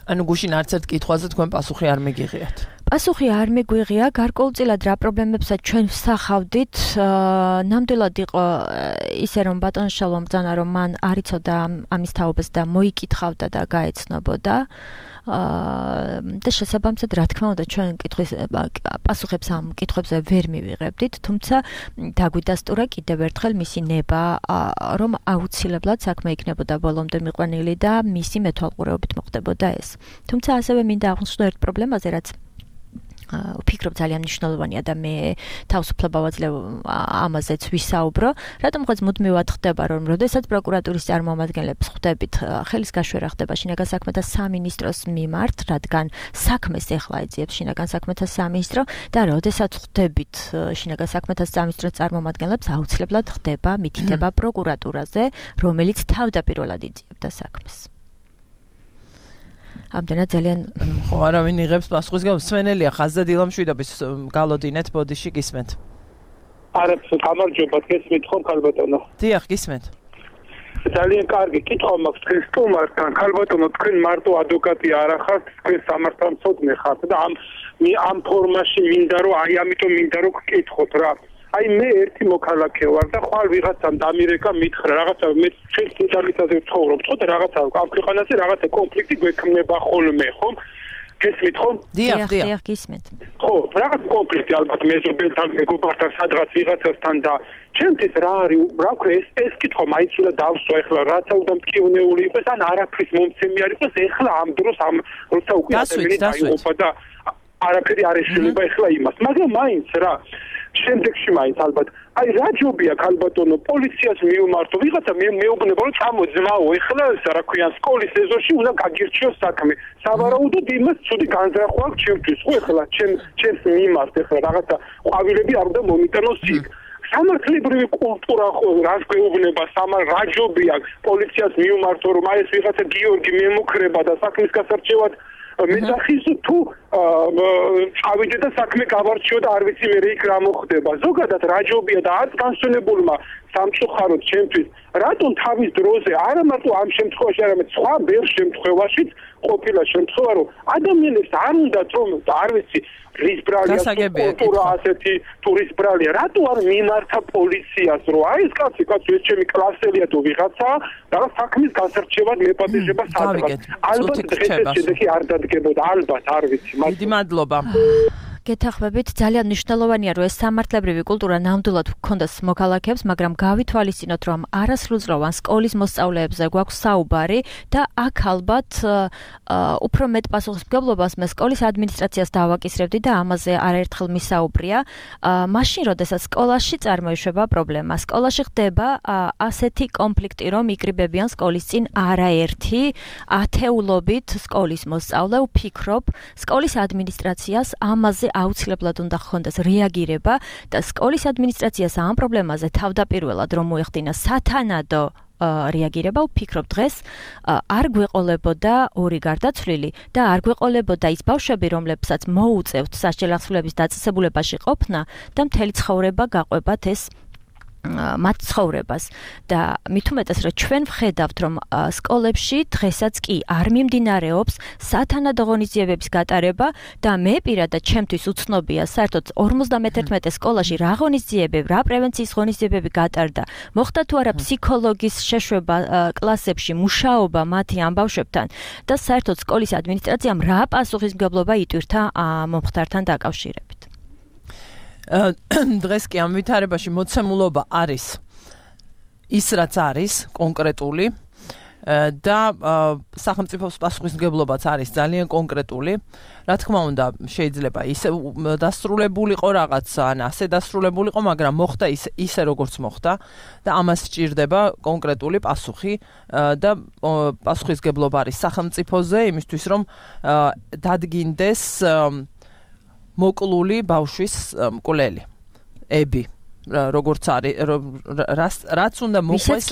[SPEAKER 2] ანუ გუშინ არც ერთ კითხვაზე თქვენ პასუხი არ მიგიღიათ.
[SPEAKER 3] პასუხი არ მიგვიღია, გარკვეულწილად რა პრობლემებსაც ჩვენ ვსახავდით, ნამდვილად იყო ისე რომ ბატონ შალვა ბრძანა რომ მან არ იცოდა ამის თაობას და მოიკითხავდა და გაეცნობოდა. და შესაბამისად რა თქმა უნდა ჩვენ პასუხებს ამ კითხვებზე ვერ მივიღებდით, თუმცა დაგვიდასტურა კიდევ ერთხელ მისი ნება, რომ აუცილებლად საქმე იქნებოდა ბოლომდე მიყვანილი და მისი მეთვალყურეობით მოხდებოდა ეს. თუმცა ასევე მინდა აღნიშნო ერთ პრობლემაზე, რაც ვფიქრობ ძალიან მნიშვნელოვანია და მე თავისუფლება ვაძლევ ამაზეც ვისაუბრო, რატომღაც მუდმივად ხდება, რომ როდესაც პროკურატურის წარმომადგენლებს ხვდებით, ხელის გაშვერა ხდება შინაგან საქმეთა სამინისტროს მიმართ, რადგან საქმეს ეხლა ეძიებს შინაგან საქმეთა სამინისტრო და როდესაც ხვდებით შინაგან საქმეთა სამინისტროს წარმომადგენლებს, აუცილებლად ხდება მითითება პროკურატურაზე, რომელიც თავდაპირველად იძიებდა საქმეს. ამდენად ძალიან
[SPEAKER 2] ხო არავინ იღებს პასუხის სვენელია ხაზზე დილამშვიდობის გალოდინეთ ბოდიში გისმენთ.
[SPEAKER 5] არა, გამარჯობა, გესმით ხომ ქალბატონო?
[SPEAKER 2] დიახ, გისმენთ.
[SPEAKER 5] ძალიან კარგი კითხვა მაქვს თქვენ სტუმართან. ქალბატონო, თქვენ მარტო ადვოკატი არ ახართ, თქვენ სამართალმცოდნე ხართ და ამ ფორმაში მინდა რომ აი ამიტომ მინდა რომ გკითხოთ რა. აი მე ერთი მოქალაქე ვარ და ხვალ ვიღაცამ დამირეკა მითხრა რაღაცა მე ჩვენ სიტუაციაზე ვცხოვრობ ხო და რაღაცა ამ ქვეყანაზე რაღაცა კონფლიქტი გვექმნება ხოლმე ხომ გესმით ხომ?
[SPEAKER 3] დიახ, გისმენთ.
[SPEAKER 5] ხო, რაღაც კონფლიქტი ალბათ მეზობელთან, მეგობართან, სადღაც ვიღაცასთან და ჩემთვის რა არის, რა ქვია ეს კითხვა მაინც უნდა დავსვა ეხლა, რაცა უნდა მткиვნეული იყოს, ან არაფრის მომცემი არ იყოს, ეხლა ამ დროს ამ როცა უკვე ადამიანი დაიღუპა და არაფერი არ ეშლება ეხლა იმას, მაგრამ მაინც რა შემდეგში მაინც ალბათ აი რა ჯობია ქალბატონო პოლიციას მიუმართო ვიღაცა მეუბნება რომ წამოძმაო ეხლა რა ქვია სკოლის ეზოში უნდა გაგირჩიოს საქმე სავარაუდოდ იმას ცუდი განზრახვა აქვს ჩემთვის ხო ეხლა ჩემს მიმართ ეხლა რაღაცა ყვავილები არ უნდა მომიტანოს იქ სამართლებრივი კულტურა ხო რას გვეუბნება რა ჯობია პოლიციას მიუმართო რომ აი ეს ვიღაცა გიორგი მემუქრება და საქმის გასარჩევად მეძახის თუ წავიდე და საქმე გავარჩიო და არ ვიცი მე იქ რა მოხდება ზოგადად რა ჯობია და არც განსვენებულმა სამწუხაროდ ჩემთვის რატომ თავის დროზე არა მარტო ამ შემთხვევაში არამედ სხვა ბევრ შემთხვევაშიც ყოფილა შემთხვევა რომ ადამიანებს არ უნდათ რომ არ ვიცი რის ბრალია კულტურა ასეთი ტურის ბრალია რატო არ მიმართა პოლიციას რომ აი ეს კაცი ეს ჩემი კლასელია თუ ვიღაცა და საქმის გასარჩევად მეპატიჟება სადღაც ალბათ დღეს შედეგი არ დადგებოდა ალბათ არ ვიცი
[SPEAKER 2] დიდი მადლობა
[SPEAKER 3] გეთახმებით ძალიან მნიშვნელოვანია რომ ეს სამართლებრივი კულტურა ნამდვილად გქონდეს მოქალაქეებს, მაგრამ გავითვალისწინოთ რომ არასრულწლოვან სკოლის მოსწავლეებზე გვაქვს საუბარი და აქ ალბათ უფრო მეტ პასუხისმგებლობას მე სკოლის ადმინისტრაციას დავაკისრებდი და ამაზე არაერთხელ მისაუბრია. მაშინ როდესაც სკოლაში წარმოიშვება პრობლემა, სკოლაში ხდება ასეთი კონფლიქტი რომ იკრიბებიან სკოლის წინ არაერთი ათეულობით სკოლის მოსწავლე, ვფიქრობ სკოლის ადმინისტრაციას ამაზე აუცილებლად უნდა ხონდეს რეაგირება და სკოლის ადმინისტრაციას ამ პრობლემაზე თავდაპირველად რომ მოეხდინა სათანადო რეაგირება, ვფიქრობ დღეს არ გვეყოლებოდა ორი გარდაცვლილი და არ გვეყოლებოდა ის ბავშვები, რომლებსაც მოუწევთ სასჯელი ახსნილების დაწესებულებაში ყოფნა და მთელი ცხოვრება გაყვებათ ეს მათ ცხოვრებას და მით უმეტეს რომ ჩვენ ვხედავთ რომ სკოლებში დღესაც კი არ მიმდინარეობს სათანადო ღონისძიებების გატარება და მე პირადად ჩემთვის უცნობია საერთოდ 51 სკოლაში რა ღონისძიებები, რა პრევენციის ღონისძიებები გატარდა. მოხდა თუ არა ფსიქოლოგის შეშვება კლასებში, მუშაობა მათი ამ ბავშვებთან და საერთოდ სკოლის ადმინისტრაციამ რა პასუხისმგებლობა იტვირთა მომხდართან დაკავშირებით.
[SPEAKER 2] დღეს კი ამ ვითარებაში მოცემულობა არის ის რაც არის კონკრეტული და სახელმწიფოს პასუხისმგებლობაც არის ძალიან კონკრეტული. Რა თქმა უნდა, შეიძლება ისე დასრულებულიყო რაღაცა, ან ასე დასრულებულიყო, მაგრამ მოხდა ისე როგორც მოხდა და ამას სჭირდება კონკრეტული პასუხი და პასუხისმგებლობა არის სახელმწიფოზე იმისთვის რომ დადგინდეს მოკლული ბავშვის მკვლელი ები როგორც არის რაც უნდა მოხდეს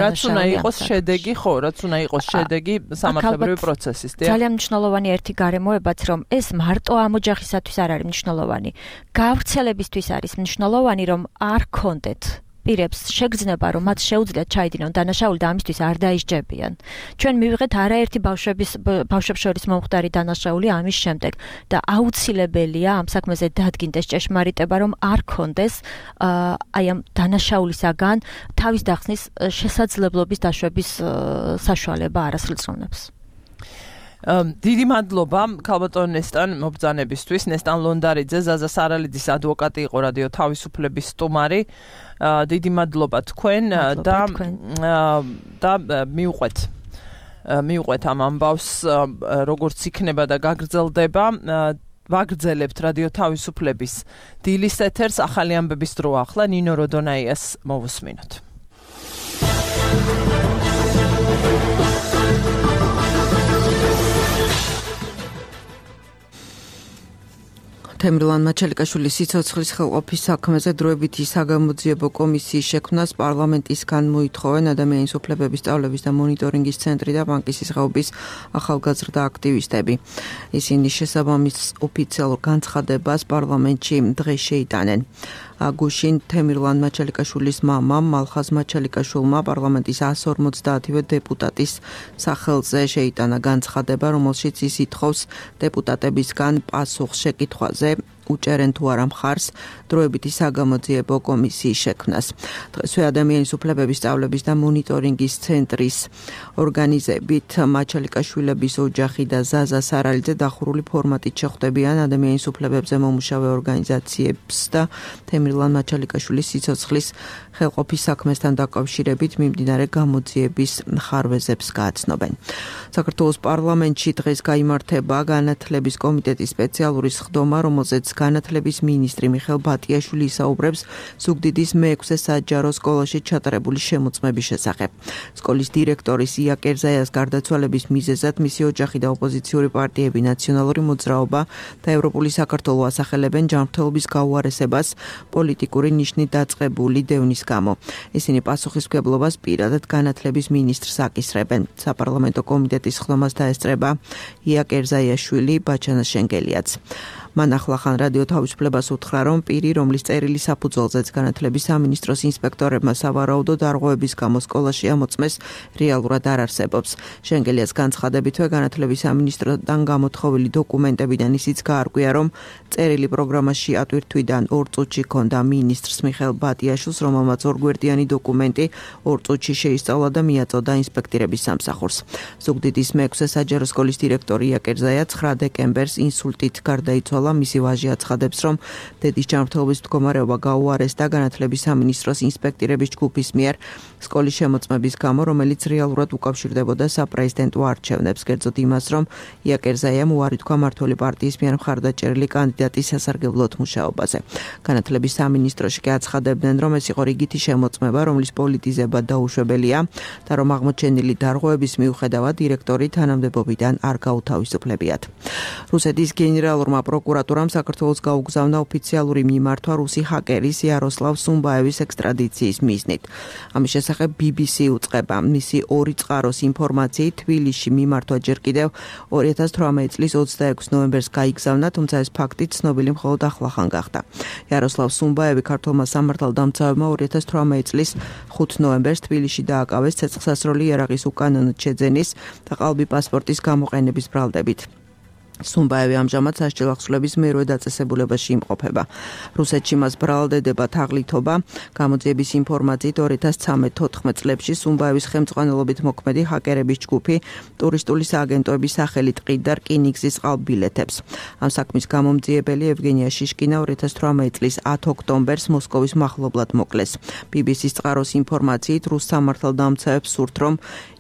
[SPEAKER 2] რაც უნდა იყოს შედეგი ხო რაც უნდა იყოს შედეგი სამართლებრივი პროცესის
[SPEAKER 3] ძალიან მნიშვნელოვანი ერთი გარემოებაც რომ ეს მარტო ამ ოჯახისათვის არ არის მნიშვნელოვანი გავრცელებისთვის არის მნიშვნელოვანი რომ არ ქონდეთ პირებს შეგრძნება რომ მათ შეუძლიათ ჩაიდინონ დანაშაული და ამისთვის არ დაისჯებიან. ჩვენ მივიღეთ არაერთი ბავშვებს შორის მომხდარი დანაშაული ამის შემდეგ და აუცილებელია ამ საქმეზე დადგინდეს ჭეშმარიტება რომ არ ქონდეს აი ამ დანაშაულისაგან თავის დახსნის შესაძლებლობის დაშვების საშუალება არასრულწლოვნებს.
[SPEAKER 2] დიდი მადლობა ქალბატონ ნესტან მობრძანებისთვის. ნესტან ლონდარიძე ზაზა სარალიძის ადვოკატი იყო რადიო თავისუფლების სტუმარი. დიდი მადლობა თქვენ და მიუყვეთ ამ ამბავს როგორც იქნება და გაგრძელდება. ვაგრძელებთ რადიო თავისუფლების დილის ეთერს ახალი ამბების დრო ახლა ნინო როდონაიას მოვუსმინოთ.
[SPEAKER 6] თემრილან მაჩალიკაშვილის სიცოცხლის ხელყოფის საქმეზე დროებითი საგამოძიებო კომისიის შექმნას პარლამენტისგან მოითხოვენ ადამიანის უფლებების სწავლების და მონიტორინგის ცენტრი და ბანკის ისღაობის ახალგაზრდა აქტივისტები. ისინი შესაბამის ოფიციალურ განცხადებას პარლამენტში დღეს შეიტანენ. გუშინ თემრილან მაჩალიკაშვილის მამამ მალხაზ მაჩალიკაშვილმა პარლამენტის 150-ვე დეპუტატის სახელზე შეიტანა განცხადება, რომელშიც ის ითხოვს დეპუტატებისგან პასუხს შეკითხვაზე უჭერენ თუ არა მხარს დროებითი საგამოძიებო კომისიის შექმნას. დღესვე ადამიანის უფლებების სწავლების და მონიტორინგის ცენტრის ორგანიზებით მაჩალიკაშვილების ოჯახი და ზაზა სარალიძე დახურული ფორმატით შეხვდებიან ადამიანის უფლებებზე მომუშავე ორგანიზაციებს და თემრილან მაჩალიკაშვილის სიცოცხლის ხელყოფის საქმესთან დაკავშირებით მიმდინარე გამოძიების ხარვეზებს გააცნობენ. საქართველოს პარლამენტში დღეს გაიმართება განათლების კომიტეტის სპეციალური სხდომა, რომელზეც განათლების მინისტრი მიხეილ ბატიაშვილი ისაუბრებს ზუგდიდის მე-6 საჯარო სკოლაში ჩატარებული შემოწმების შესახებ. სკოლის დირექტორის ია კერზაიას გარდაცვალების მიზეზად მისი ოჯახი და ოპოზიციური პარტიები ნაციონალური მოძრაობა და ევროპული საქართველო ასახელებენ ჯანმრთელობის გაუარესებას პოლიტიკური ნიშნით დაწყებული დევნის გამო. ისინი პასუხისმგებლობას პირადად განათლების მინისტრს აკისრებენ. საპარლამენტო კომიტეტის სხდომას დაესწრება ია კერზაიაშვილი, ბაჩანა შენგელიაც. მან ახლახან რადიო თავისუფლებას უთხრა, რომ პირი, რომლის წერილი საფუძველზეც განათლების სამინისტროს ინსპექტორებმა სავარაუდო დარღვევების გამო სკოლაში ამოწმეს, რეალურად არ არსებობს. შენგელიას განცხადებითვე განათლების სამინისტროდან გამოთხოვილი დოკუმენტებიდან ისიც გაარკვია, რომ წერილი პროგრამაში ატვირთვიდან 2 წუთში ჰქონდა მინისტრს მიხეილ ბატიაშვილს, რომელმაც ორგვერდიანი დოკუმენტი 2 წუთში შეისწავლა და მიაწოდა ინსპექტირების სამსახურს. ზუგდიდის მე-6 საჯარო სკოლის დირექტორი ია კერზაია 9 დეკემბერს ინსულტით გარდაიცვალა. მისი ვაჟი აცხადებს, რომ დედის ჯანმრთელობის მდგომარეობა გაუარესდა განათლების სამინისტროს ინსპექტირების ჯგუფის მიერ სკოლის შემოწმების გამო, რომელიც რეალურად უკავშირდებოდა საპრეზიდენტო არჩევნებს, კერძოდ იმას, რომ ია კერზაიამ უარი თქვა მმართველი პარტიის მიერ მხარდაჭერილი კანდიდატის სასარგებლოდ მუშაობაზე. განათლების სამინისტროში კი აცხადებდნენ, რომ ეს იყო რიგითი შემოწმება, რომლის პოლიტიზება დაუშვებელია და რომ აღმოჩენილი დარღვევების მიუხედავად დირექტორი თანამდებობიდან არ გაუთავისუფლებიათ. რუსეთის გენერალურმა პროკურორმა პროკურატურამ საქართველოს გაუგზავნა ოფიციალური მიმართვა რუსი ჰაკერის იაროსლავ სუმბაევის ექსტრადიციის მიზნით. ამის შესახებ BBC უწყება მისი ორი წყაროს ინფორმაციით თბილისში მიმართვა ჯერ კიდევ 2018 წლის 26 ნოემბერს გაიგზავნა, თუმცა ეს ფაქტი ცნობილი მხოლოდ ახლახან გახდა. იაროსლავ სუმბაევი ქართულმა სამართალდამცავებმა 2018 წლის 5 ნოემბერს თბილისში დააკავეს ცეცხლსასროლი იარაღის უკანონოდ შეძენის და ყალბი პასპორტის გამოყენების ბრალდებით. სუმბაევი ამჟამად სასჯელ ახსნების მერვე დაწესებულებაში იმყოფება. რუსეთში მას ბრალდება თაღლითობა. გამოძიების ინფორმაციით 2013-14 წლებში სუმბაევის ხელმძღვანელობით მოქმედი ჰაკერების ჯგუფი ტურისტული სააგენტოების სახელით ყიდდა რკინიგზის ყალბილეთებს. ამ საქმის გამომძიებელი ევგენია შიშკინა 2018 წლის 10 ოქტომბერს მოსკოვის მახლობლად მოკლეს. BBC-ს წყაროს ინფორმაციით რუს სამართალდამცავებს სურთ, რომ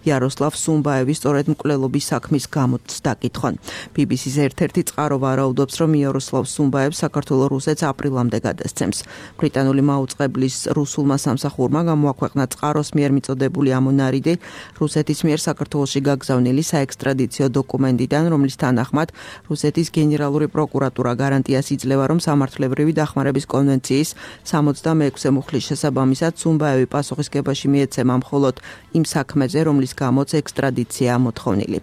[SPEAKER 6] იაროსლავ სუმბაევის სწორედ მკვლელობის საქმის გამოც დაკითხონ. BBC-ს ერთ-ერთი წყარო ვარაუდობს, რომ იაროსლავ სუმბაევს საქართველოს რუსეთს აპრილამდე გადასცემს. ბრიტანული მაუწყებლის რუსულმა სამსახურმა გამოაქვეყნა წყაროს მიერ მიწოდებული ამონარიდი რუსეთის მიერ საქართველოში გაგზავნილი საექსტრადიციო დოკუმენტიდან, რომლის თანახმად რუსეთის გენერალური პროკურატურა გარანტიას იძლევა, რომ სამართლებრივი დახმარების კონვენციის 66 მუხლის შესაბამისად სუმბაევი პასუხისგებაში მიეცემა მხოლოდ იმ საქმეზე, რომლის გამოც ექსტრადიცია მოთხოვნილი.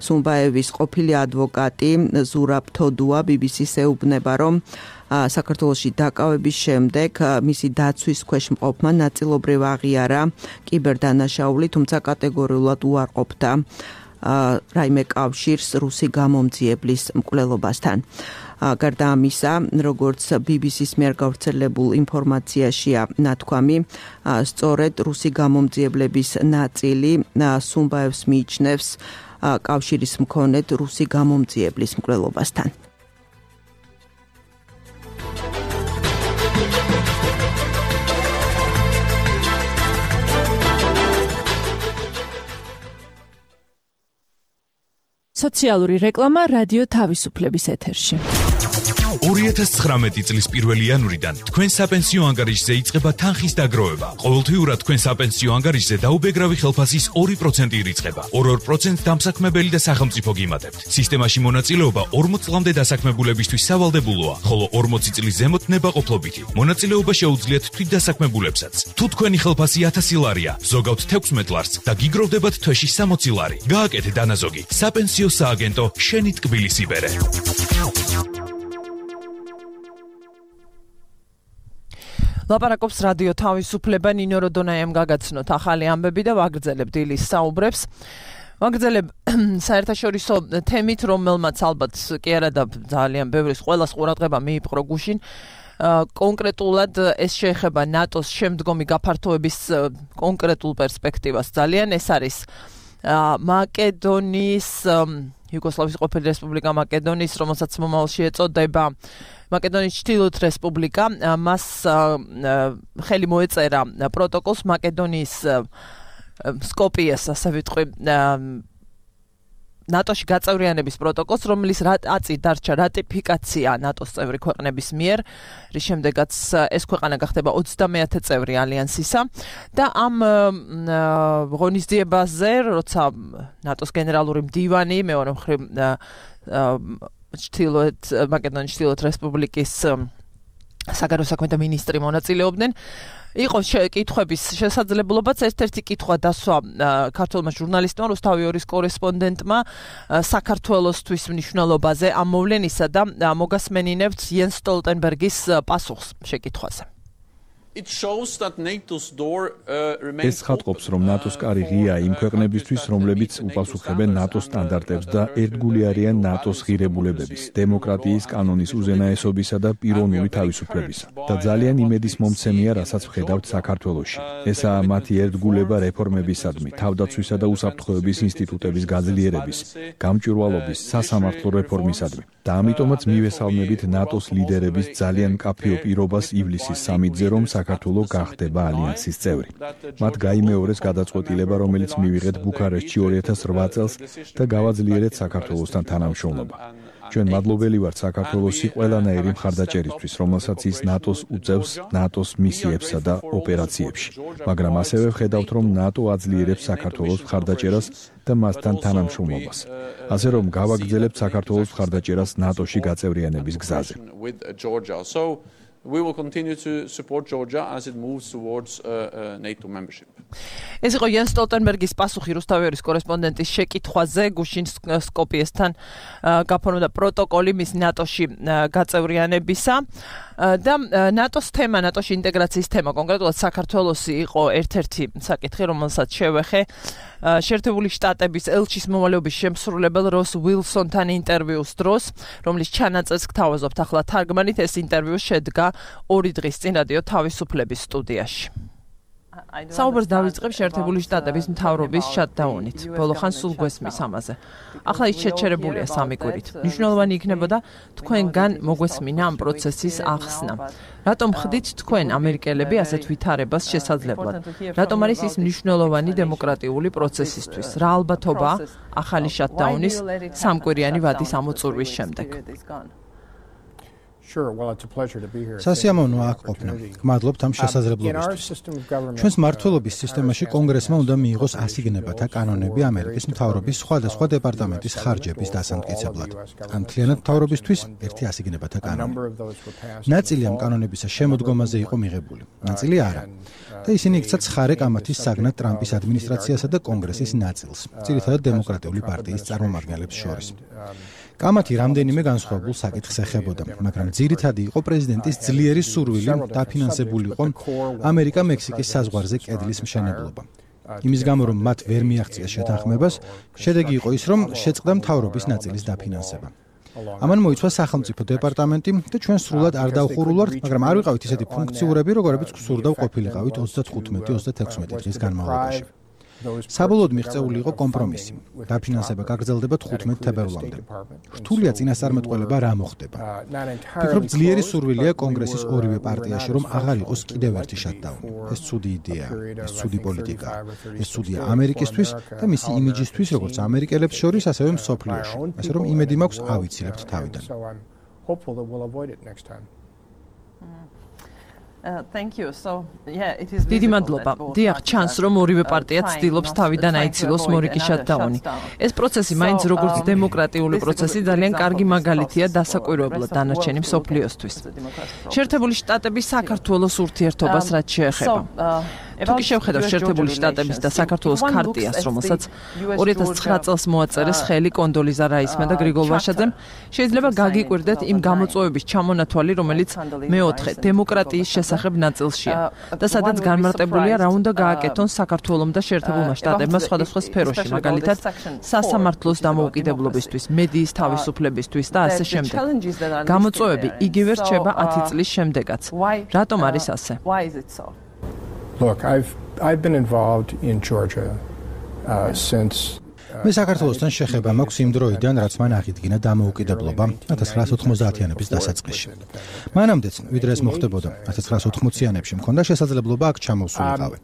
[SPEAKER 6] სუმბაევის ყოფილი ადვოკატი ზურაბ თოდუა BBC-ს ეუბნება, რომ საქართველოში დაკავების შემდეგ მისი დაცვის ქვეშ მყოფმა ნაწილობრივ აღიარა კიბერდანაშაული, თუმცა კატეგორიულად უარყოფდა რაიმე კავშირს რუსი გამომძიებლის მკვლელობასთან. გარდა ამისა, როგორც BBC-ს მიერ გავრცელებულ ინფორმაციაშია ნათქვამი, სწორედ რუსი გამომძიებლების ნაწილი სუმბაევს მიიჩნევს კავშირის მქონედ რუსი გამომძიებლის მკვლელობასთან.
[SPEAKER 2] სოციალური რეკლამა რადიო თავისუფლების ეთერში.
[SPEAKER 7] 2019 წლის 1 იანვრიდან თქვენ საპენსიო ანგარიშზე იწყება თანხის დაგროვება. ყოველთვიურად თქვენ საპენსიო ანგარიშზე დაუბეგრავი ხელფასის 2% ირიცხება. 2% დამსაქმებელი და სახელმწიფო გიმატებთ. სისტემაში მონაწილეობა 40 წლამდე დასაქმებულებისთვის სავალდებულოა, ხოლო 40 წლის ზემოთ ნებაყოფლობითი. მონაწილეობა შეუძლიათ თვითდასაქმებულებსაც. თუ თქვენი ხელფასი 1000 ლარია, ზოგავთ 16 ლარს და გიგროვდებათ თვეში 60 ლარი. გააკეთე დანაზოგი. საპენსიო სააგენტო შენი ტკბილის იბერე.
[SPEAKER 2] ლაპარაკობს რადიო თავისუფლება, ნინო როდონაიამ გაგაცნოთ ახალი ამბები და ვაგრძელებ დილის საუბრებს. ვაგრძელებ საერთაშორისო თემით, რომელმაც ალბათ კი არა და ძალიან ბევრის ყველას ყურადღება მიიპყრო გუშინ. კონკრეტულად ეს შეეხება ნატოს შემდგომი გაფართოების კონკრეტულ პერსპექტივას. ძალიან ეს არის მაკედონიის იუგოსლავიის ყოფილი რესპუბლიკა მაკედონიის, რომელსაც მომავალში ეწოდება მაკედონიის ჩრდილოეთ რესპუბლიკა, მას ხელი მოეწერა პროტოკოლს მაკედონიის სკოპიეს, ასე ვიტყვი, ნატოში გაწევრიანების პროტოკოლს, რომლის აწი დარჩა რატიფიკაცია ნატოს წევრი ქვეყნების მიერ, რის შემდეგაც ეს ქვეყანა გახდება 30-ე წევრი ალიანსისა და ამ ღონისძიებაზე, როცა ნატოს გენერალური მდივანი მეორე მხრივ მაკედონიის ჩრდილოეთ რესპუბლიკის საგარეო საქმეთა მინისტრი მონაწილეობდნენ. იყო კითხვების შესაძლებლობაც, ერთ-ერთი კითხვა დასვა ქართველმა ჟურნალისტმა, რუსთავი-2-ის კორესპონდენტმა საქართველოსთვის მნიშვნელობაზე ამ მოვლენისა და მოგასმენინებთ იენს სტოლტენბერგის პასუხს შეკითხვაზე.
[SPEAKER 8] ეს ხატყობს, რომ ნატოს კარი ღია იმ ქვეყნებისთვის, რომლებიც უპასუხებენ ნატოს სტანდარტებს და ერთგული არიან ნატოს ღირებულებების, დემოკრატიის, კანონის უზენაესობისა და პიროვნული თავისუფლებისა. და ძალიან იმედის მომცემია, რასაც ვხედავთ საქართველოში. ესაა მათი ერთგულება რეფორმებისადმი, თავდაცვისა და უსაფრთხოების ინსტიტუტების გაძლიერების, გამჭვირვალობის, სასამართლო რეფორმისადმი. და ამიტომაც მივესალმებით ნატოს ლიდერების ძალიან მკაფიო პირობას ივლისის 3-ზე, რომ საქართველო გახდება ალიანსის წევრი. მათ გაიმეორეს გადაწყვეტილება, რომელიც მივიღეთ ბუქარესტში 2008 წელს და გავაძლიერეთ საქართველოსთან თანამშრომლობა. ჩვენ მადლობელი ვართ საქართველოსი ყველანაირი მხარდაჭერისთვის, რომელსაც ის ნატოს უწევს ნატოს მისიებსა და ოპერაციებში. მაგრამ ასევე ვხედავთ, რომ ნატო აძლიერებს საქართველოს მხარდაჭერას და მასთან თანამშრომლობას. ასე რომ გავაგრძელებთ საქართველოს მხარდაჭერას ნატოში გაწევრიანების გზაზე.
[SPEAKER 9] We will continue to support Georgia as it moves towards NATO membership.
[SPEAKER 2] ეს იყო იან სტოლტენბერგის პასუხი რუსთავის კორესპონდენტის შეკითხვაზე გუშინ სკოპიესთან გაფორმდა პროტოკოლი მის ნატოში გაწევრიანებისა და ნატოს თემა, ნატოში ინტეგრაციის თემა, კონკრეტულად საქართველოსი იყო ერთ-ერთი საკითხი, რომელსაც შევეხე შეერთებული შტატების ელჩის მოვალეობის შემსრულებელ როს უილსონთან ინტერვიუს დროს, რომლის ჩანაწერს გთავაზობთ ახლა თარგმანით. ეს ინტერვიუ შედგა 2 დღის წინ რადიო თავისუფლების სტუდიაში. საუბარს დავიწყებ შეერთებული შტატების მთავრობის შატდაუნით. ბოლო ხანს სულ გვესმის ამაზე. ახლა ის შეჩერებულია 3 კვირით. მნიშვნელოვანი იქნებოდა თქვენგან მოგვესმინა ამ პროცესის ახსნა. რატომ ხდით თქვენ ამერიკელები ასეთ ვითარებას შესაძლებლად? რატომ არის ის მნიშვნელოვანი დემოკრატიული პროცესისთვის? რა ალბათობა ახალი შატდაუნის 3 კვირიანი ვადის ამოწურვის შემდეგ?
[SPEAKER 1] სასიამოვნოა აქ ყოფნა. გმადლობთ ამ შესაძლებლობისთვის. ჩვენს მმართველობის სისტემაში კონგრესმა უნდა მიიღოს ასიგნებათა კანონები ამერიკის მთავრობის სხვადასხვა დეპარტამენტის ხარჯების დასამტკიცებლად. ან მთლიანად მთავრობისთვის ერთი ასიგნებათა კანონი. ნაწილი ამ კანონებისა შემოდგომაზე იყო მიღებული, ნაწილი არა. და ისინი იქცა ცხარე კამათის საგნად ტრამპის ადმინისტრაციასა და კონგრესის ნაწილს, ძირითადად დემოკრატიული პარტიის წარმომადგენლებს შორის. კამათი რამდენიმე განსხვავებულ საკითხს ეხებოდა, მაგრამ ძირითადი იყო პრეზიდენტის ძლიერი სურვილი დაფინანსებულიყო ამერიკა-მექსიკის საზღვარზე კედლის მშენებლობა. იმის გამო, რომ მათ ვერ მიაღწიეს შეთანხმებას, შედეგი იყო ის, რომ შეწყდა მთავრობის ნაწილის დაფინანსება. ამან მოიცვა სახელმწიფო დეპარტამენტი და ჩვენ სრულად არ დავხურულვართ, მაგრამ არ ვიყავით ისეთი ფუნქციურები, როგორებიც გვსურდა ვყოფილიყავით 35-36 დღის განმავლობაში. საბოლოოდ მიღწეული იყო კომპრომისი. დაფინანსება გაგრძელდება 15 თებერვლამდე. რთულია წინასწარმეტყველება რა მოხდება. ფიქრობ, ძლიერი სურვილია კონგრესის ორივე პარტიაში, რომ აღარ იყოს კიდევ ერთი შატდაუნი. ეს ცუდი იდეაა, ეს ცუდი პოლიტიკა. ეს ცუდია ამერიკისთვის და მისი იმიჯისთვის, როგორც ამერიკელებს შორის, ასევე მსოფლიოში. ასე რომ იმედი მაქვს ავიცილებთ თავიდან.
[SPEAKER 2] Thank you. So, yeah, it is დიდი მადლობა. დიახ, ჩანს, რომ ორივე პარტია ცდილობს თავიდან აიცილოს მორიგი შატდაუნი. ეს პროცესი მაინც როგორც დემოკრატიული პროცესი ძალიან კარგი მაგალითია დასაკვირვებლად დანარჩენი მსოფლიოსთვის. შეერთებული შტატების საქართველოს ურთიერთობას რაც შეეხება. თუ კი შევხედავთ შეერთებული შტატების და საქართველოს ქარტიას, რომელსაც 2009 წელს მოაწერეს ხელი კონდოლიზა რაისმა და გრიგოლ ვაშაძემ, შეიძლება გაგიკვირდეთ იმ გამოწვევების ჩამონათვალი, რომელიც მეოთხე დემოკრატიის შესახებ ნაწილშია და სადაც განმარტებულია რა უნდა გააკეთონ საქართველოს და შეერთებულმა შტატებმა სხვადასხვა სფეროში, მაგალითად სასამართლოს დამოუკიდებლობისთვის, მედიის თავისუფლებისთვის და ასე შემდეგ. გამოწვევები იგივე რჩება 10 წლის შემდეგაც. რატომ არის ასე?
[SPEAKER 10] Look, I've been involved in Georgia since
[SPEAKER 1] მე საქართველოსთან შეხება მაქვს იმ დროიდან, რაც მან აღიდგინა დამოუკიდებლობა 1990-იანების დასაწყისში. მანამდეც, ვიდრე ეს მოხდებოდა 1980-იანებში, მქონდა შესაძლებლობა აქ ჩამოვსულიყავი.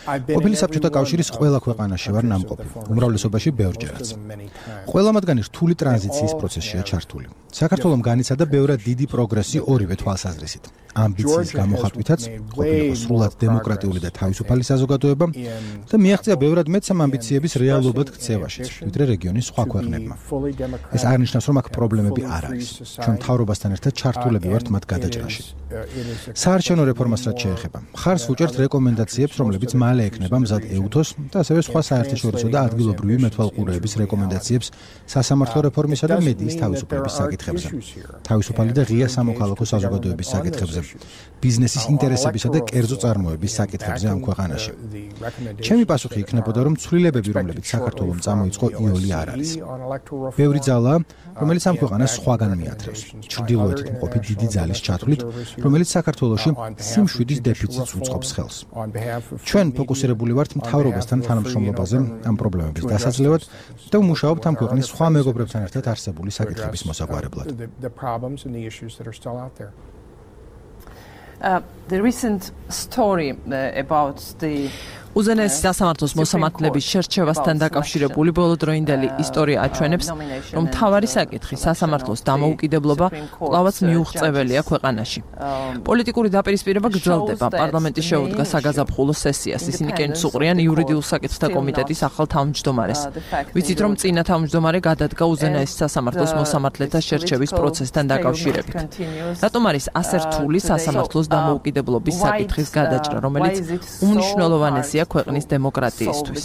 [SPEAKER 1] ყოფილი საბჭოთა კავშირის ყველა ქვეყანაში ვარ ნამყოფი, უმრავლესობაში ბევრჯერაც. ყველა მათგანი რთული ტრანზიციის პროცესშია ჩართული. საქართველომ განიცადა ბევრად დიდი პროგრესი ორივე თვალსაზრისით. ამბიციის გამოხატვითაც ყოფილიყო სრულად დემოკრატიული და თავისუფალი საზოგადოება და მიაღწია ბევრად მეც ამ ამბიციების რეალობად ქცევაშიც, ვიდრე რეგიონის სხვა ქვეყნებმა. ეს არ ნიშნავს, რომ აქ პრობლემები არ არის. ჩვენ მთავრობასთან ერთად ჩართულები ვართ მათ გადაჭრაში. საარჩევნო რეფორმას რაც შეეხება, მხარს ვუჭერთ რეკომენდაციებს, რომლებიც მალე ექნება მზად ეუთოს და ასევე სხვა საერთაშორისო და ადგილობრივი მეთვალყურეების რეკომენდაციებს სასამართლო რეფორმისა და მედიის თავისუფლების საკითხებზე. თავისუფალი და ღია სამოქალაქო საზოგადოების საკითხებზე. ბიზნესის ინტერესებისა და კერძო წარმოების საკითხებზე ამ ქვეყანაში. ჩემი პასუხი იქნებოდა, რომ ცვლილებები, რომლებიც საქართველოს წამოიწყო, იოლი არ არის. ბევრი ძალა, რომელიც ამ ქვეყანას სხვაგან მიათრევს. ჩრდილოეთით მყოფი დიდი ძალის ჩათვლით, რომელიც საქართველოში სიმშვიდის დეფიციტს უწყობს ხელს. ჩვენ ფოკუსირებული ვართ მთავრობასთან თანამშრომლობაზე ამ პრობლემების დასაძლევად და ვმუშაობთ ამ ქვეყნის სხვა მეგობრებთან ერთად არსებული საკითხების მოსაგვარებლად.
[SPEAKER 2] The recent story about the უზენაესი სასამართლოს მოსამართლეების შერჩევასთან დაკავშირებული ბოლოდროინდელი ისტორია აჩვენებს, რომ მთავარი საკითხი სასამართლოს დამოუკიდებლობა კვლავაც მიუღწეველია ქვეყანაში. პოლიტიკური დაპირისპირება გრძელდება. პარლამენტი შეუდგა საგაზაფხულო სესიას. ისინი კენჭს უყრიან იურიდიულ საკითხთა კომიტეტის ახალ თავმჯდომარეს. ვიცით, რომ წინა თავმჯდომარე გადადგა უზენაესი სასამართლოს მოსამართლეთა შერჩევის პროცესთან დაკავშირებით. რატომ არის ასე რთული სასამართლოს დამოუკიდებლობის საკითხის გადაჭრა, რომელიც უმნიშვნელოვანესია ქვეყნის დემოკრატიისთვის?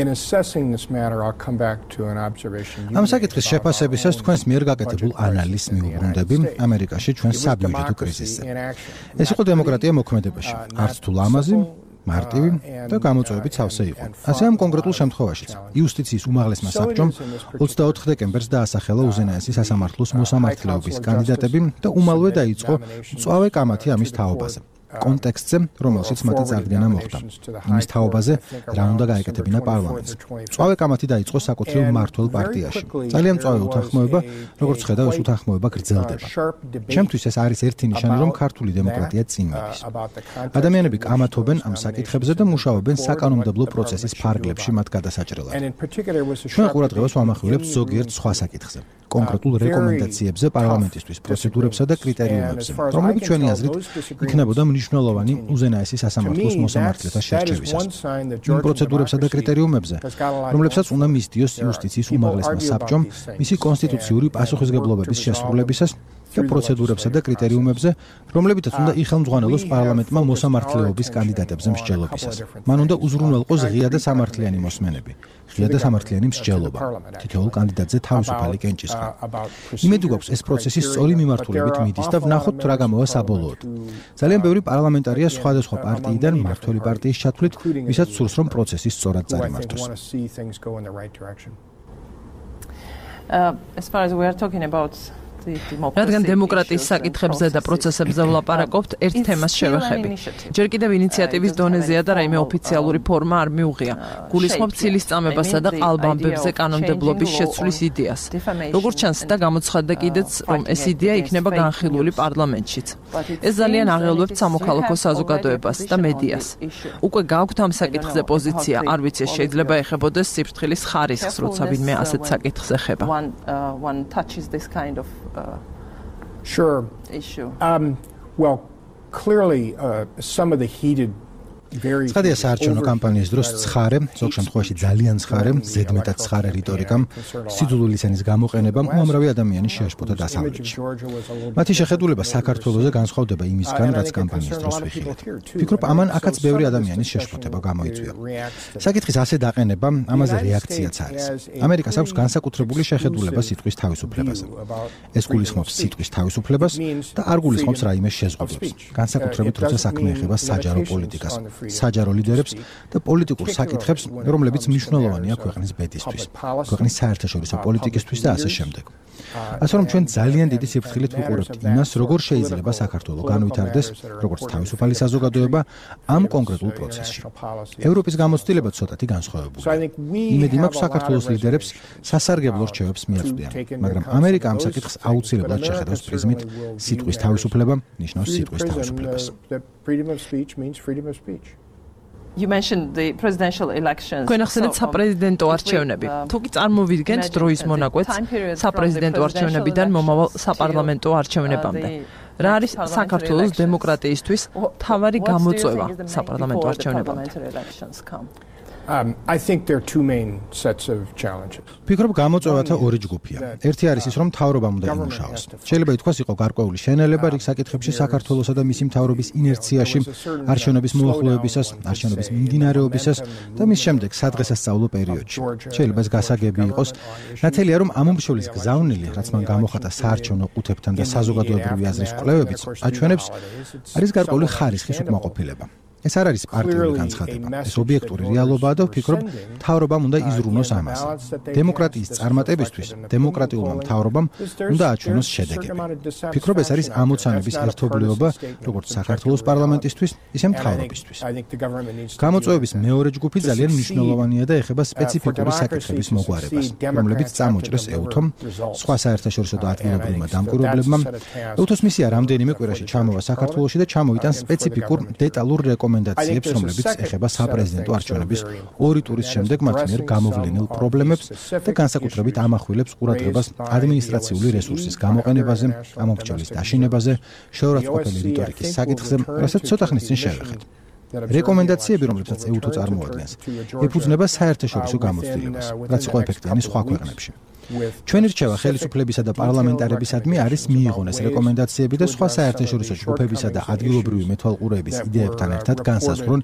[SPEAKER 10] In assessing this matter, I'll come back to an observation.
[SPEAKER 1] ამ საკითხის შეფასებისას თქვენს მიერ გაკეთებულ ანალიზს მიუბრუნდები ამერიკაში ჩვენს საბიუჯეტო კრიზისზე. ეს იყო დემოკრატია მოქმედებაში, არც თუ ლამაზი, მარტივი და გამოწვევებით სავსე იყო. ასე ამ კონკრეტულ შემთხვევაშიც იუსტიციის უმაღლესმა საბჭომ 24 დეკემბერს დაასახელა უზენაესი სასამართლოს მოსამართლეობის კანდიდატები და უმალვე დაიწყო მწვავე კამათი ამის თაობაზე. კონტექსტზე, რომელშიც მათი წარდგენა მოხდა. იმის თაობაზე, რა უნდა გაეკეთებინა პარლამენტს. მწვავე კამათი დაიწყო საკუთრივ მმართველ პარტიაში. ძალიან მწვავე უთანხმოება, როგორც ხედავ, ეს უთანხმოება გრძელდება. ჩემთვის ეს არის ერთი ნიშანი, რომ ქართული დემოკრატია წინ მიდის. ადამიანები კამათობენ ამ საკითხებზე და მუშაობენ საკანონმდებლო პროცესის ფარგლებში მათ გადასაჭრელად. ჩვენ ყურადღებას ვამახვილებთ ზოგიერთ სხვა საკითხზე. კონკრეტულ რეკომენდაციებზე პარლამენტისთვის, პროცედურებსა და კრიტერიუმებზე, რომლებიც ჩვენი აზრით იქნებოდა მნიშვნელოვანი უზენაესი სასამართლოს მოსამართლეთა შერჩევისას. იმ პროცედურებსა და კრიტერიუმებზე, რომლებსაც უნდა მისდიოს იუსტიციის უმაღლესმა საბჭომ მისი კონსტიტუციური პასუხისმგებლობების შესრულებისას და პროცედურებსა და კრიტერიუმებზე, რომლებითაც უნდა იხელმძღვანელოს პარლამენტმა მოსამართლეობის კანდიდატებზე მსჯელობისას. მან უნდა უზრუნველყოს ღია და სამართლიანი მოსმენები, ღია და სამართლიანი მსჯელობა, თითოეულ კანდიდატზე თავისუფალი კენჭისყრა. იმედი გვაქვს, ეს პროცესი სწორი მიმართულებით მიდის და ვნახოთ რა გამოვა საბოლოოდ. ძალიან ბევრი პარლამენტარია სხვადასხვა პარტიიდან მმართველი პარტიის ჩათვლით, ვისაც სურს, რომ პროცესი სწორად წარიმართოს.
[SPEAKER 2] As far as we are talking about რადგან დემოკრატიის საკითხებზე და პროცესებზე ვლაპარაკობთ, ერთ თემას შევეხები. ჯერ კიდევ ინიციატივის დონეზეა და რაიმე ოფიციალური ფორმა არ მიუღია. გულისხმობ ცილის წამებასა და ყალბამბებზე კანონმდებლობის შეცვლის იდეას. როგორც ჩანს და გამოცხადდა კიდეც, რომ ეს იდეა იქნება განხილული პარლამენტშიც. ეს ძალიან აღელვებთ სამოქალაქო საზოგადოებას და მედიას. უკვე გაქვთ ამ საკითხზე პოზიცია, არ ვიცი, შეიძლება ეხებოდეს სიფრთხილის ხარისხს, როცა ვინმე ასეთ საკითხს ეხება.
[SPEAKER 10] Sure.
[SPEAKER 2] Issue.
[SPEAKER 10] Well, clearly, some of the heated
[SPEAKER 1] ცხადია საარჩევნო კამპანიის დროს ცხარე, ზოგ შემთხვევაში ძალიან ცხარე, ზედმეტად ცხარე რიტორიკამ, სიძულვილის ენის გამოყენებამ უამრავი ადამიანი შეაშფოთა დასავლეთში. მათი შეხედულება საქართველოზე განსხვავდება იმისგან, რაც კამპანიის დროს ვიხილეთ. ვფიქრობ, ამან აქაც ბევრი ადამიანის შეშფოთება გამოიწვია. საკითხის ასე დაყენება, ამაზე რეაქციაც არის. ამერიკას აქვს განსაკუთრებული შეხედულება სიტყვის თავისუფლებაზე. ეს გულისხმობს სიტყვის თავისუფლებას და არ გულისხმობს რაიმე შეზღუდვებს. განსაკუთრებით, როცა საქმე ეხება საჯარო პოლიტიკას. საჯარო ლიდერებს და პოლიტიკურ საკითხებს, რომლებიც მნიშვნელოვანია ქვეყნის ბედისთვის, ქვეყნის საერთაშორისო პოლიტიკისთვის და ასე შემდეგ. ასე რომ ჩვენ ძალიან დიდი სიფრთხილით ვუყურებთ იმას, როგორ შეიძლება საქართველო განვითარდეს, როგორც თავისუფალი საზოგადოება ამ კონკრეტულ პროცესში. ევროპის გამოცდილება ცოტათი განსხვავებულია. იმედი მაქვს საქართველოს ლიდერებს სასარგებლო რჩევებს მიაწვდიან, მაგრამ ამერიკა ამ საკითხს აუცილებლად შეხედავს პრიზმით სიტყვის თავისუფლება ნიშნავს სიტყვის თავისუფლებას.
[SPEAKER 10] Freedom of speech means freedom of speech.
[SPEAKER 2] You mentioned the presidential elections. Გვენახსენეთ საპრეზიდენტო არჩევნები. თუ კი წარმოვიდგენთ დროის მონაკვეთს საპრეზიდენტო არჩევნებიდან მომავალ საპარლამენტო არჩევნებამდე. რა არის საქართველოს დემოკრატიისთვის მთავარი გამოწვევა საპარლამენტო არჩევნებამდე?
[SPEAKER 10] I think there are two main sets of challenges.
[SPEAKER 1] ვფიქრობ, გამოწვევათა ორი ჯგუფია. ერთი არის ის, რომ მთავრობამ უნდა იმუშაოს. შეიძლება ითქვას, იყო გარკვეული შენელება რიგ საკითხებში საქართველოსა და მისი მთავრობის ინერციაში, არჩევნების მოახლოებისას, არჩევნების მიმდინარეობისას და მის შემდეგ სადღესასწაულო პერიოდში. შეიძლება ეს გასაგები იყოს. ნათელია, რომ ამ უმშელის გზავნილი, რაც მან გამოხატა საარჩევნო ყუთებთან და საზოგადოებრივი აზრის კვლევებიც, აჩვენებს არის გარკვეული ხარისხის უკმაყოფილება. ეს არ არის პარტიული განცხადება. ეს ობიექტური რეალობაა და ვფიქრობ, მთავრობამ უნდა იზრუნოს ამაზე. დემოკრატიის წარმატებისთვის დემოკრატიულმა მთავრობამ უნდა აჩვენოს შედეგები. ვფიქრობ, ეს არის ამოცანების ერთობლიობა, როგორც საქართველოს პარლამენტისთვის, ისე მთავრობისთვის. გამოწვევების მეორე ჯგუფი ძალიან მნიშვნელოვანია და ეხება სპეციფიკური საკითხების მოგვარებას, რომლებიც წამოჭრეს EUTHO-მ, სხვა საერთაშორისო და ადგილობრივმა დამკვირვებლებმა. EUTHO-ს მისია რამდენიმე კვირაში ჩამოვა საქართველოში და ჩამოიტანს სპეციფიკურ დეტალურ რეკომენდაციებს, რომლებიც ეხება საპრეზიდენტო არჩევნების ორი ტურის შემდეგ მათ მიერ გამოვლენილ პრობლემებს და განსაკუთრებით ამახვილებს ყურადღებას ადმინისტრაციული რესურსის გამოყენებაზე, ამომრჩევლის დაშინებაზე, შეურაცხყოფელი რიტორიკის საკითხზე, რასაც ცოტა ხნის წინ შევეხეთ. რეკომენდაციები, რომლებსაც EUTHO წარმოადგენს, ეფუძნება საერთაშორისო გამოცდილებას, რაც იყო ეფექტიანი სხვა ქვეყნებში. ჩვენი რჩევა ხელისუფლებისა და პარლამენტარებისადმი არის მიიღონ ეს რეკომენდაციები და სხვა საერთაშორისო ჯგუფებისა და ადგილობრივი მეთვალყურეების იდეებთან ერთად განსაზღვრონ,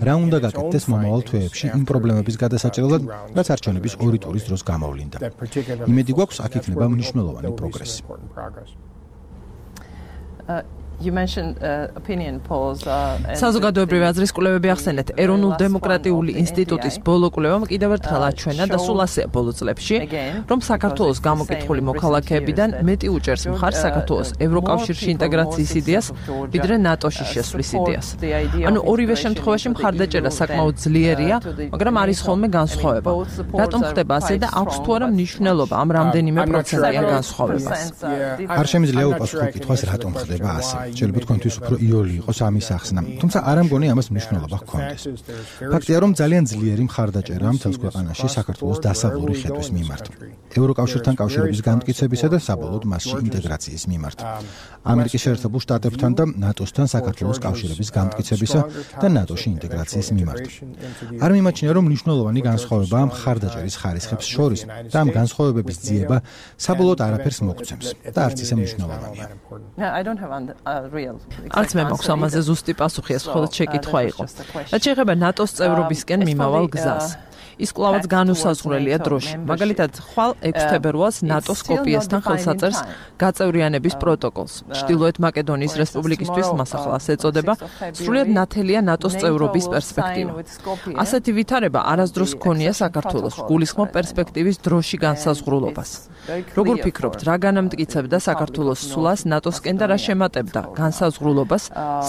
[SPEAKER 1] რა უნდა გაკეთდეს მომავალ თვეებში იმ პრობლემების გადასაჭრელად, რაც არჩევნების ორი ტურის დროს გამოვლინდა. იმედი გვაქვს, აქ იქნება მნიშვნელოვანი პროგრესი.
[SPEAKER 2] You mentioned opinion polls საზოგადოებრივი აზრის კვლევები ახსენეთ. ეროვნულ დემოკრატიული ინსტიტუტის ბოლო კვლევამ კიდევ ერთხელ აჩვენა და სულ ასეა ბოლო წლებში, რომ საქართველოს გამოკითხული მოქალაქეებიდან მეტი უჭერს მხარს საქართველოს ევროკავშირში ინტეგრაციის იდეას, ვიდრე ნატოში შესვლის იდეას. ანუ ორივე შემთხვევაში მხარდაჭერა საკმაოდ ძლიერია, მაგრამ არის ხოლმე განსხვავება. რატომ ხდება ასე და აქვს თუ არა მნიშვნელობა ამ რამდენიმე პროცენტიან განსხვავებას?
[SPEAKER 1] არ შემიძლია უპასუხო კითხვას, რატომ ხდება ასე. შეიძლება თქვენთვის უფრო იოლი იყოს ამის ახსნა, თუმცა არ ამგონი ამას მნიშვნელობა ჰქონდეს. ფაქტია, რომ ძალიან ძლიერი მხარდაჭერაა მთელს ქვეყანაში საქართველოს დასავლური ხედვის მიმართ, ევროკავშირთან კავშირების განმტკიცებისა და საბოლოოდ მასში ინტეგრაციის მიმართ, ამერიკის შეერთებულ შტატებთან და ნატოსთან საქართველოს კავშირების განმტკიცებისა და ნატოში ინტეგრაციის მიმართ. არ მიმაჩნია, რომ მნიშვნელოვანი განსხვავებაა მხარდაჭერის ხარისხებს შორის და ამ განსხვავებების ძიება საბოლოოდ არაფერს მოგცემს და არც ისე მნიშვნელოვანია.
[SPEAKER 2] არც მე მაქვს ამაზე ზუსტი პასუხი, ეს მხოლოდ შეკითხვა იყო. რაც შეეხება ნატოს წევრობისკენ მიმავალ გზას. ის კვლავაც განუსაზღვრელია დროში. მაგალითად, ხვალ 6 თებერვალს ნატო სკოპიესთან ხელსაწერს გაწევრიანების პროტოკოლს. ჩრდილოეთ მაკედონიის რესპუბლიკისთვის მას ახლა ასე ეწოდება, სრულიად ნათელია ნატოს წევრობის პერსპექტივა. ასეთი ვითარება არასდროს ჰქონია საქართველოს, გულისხმობ პერსპექტივის დროში განსაზღვრულობას. როგორ ფიქრობთ, რა განამტკიცებდა საქართველოს სულას ნატოსკენ და რა შემატებდა განსაზღვრულობას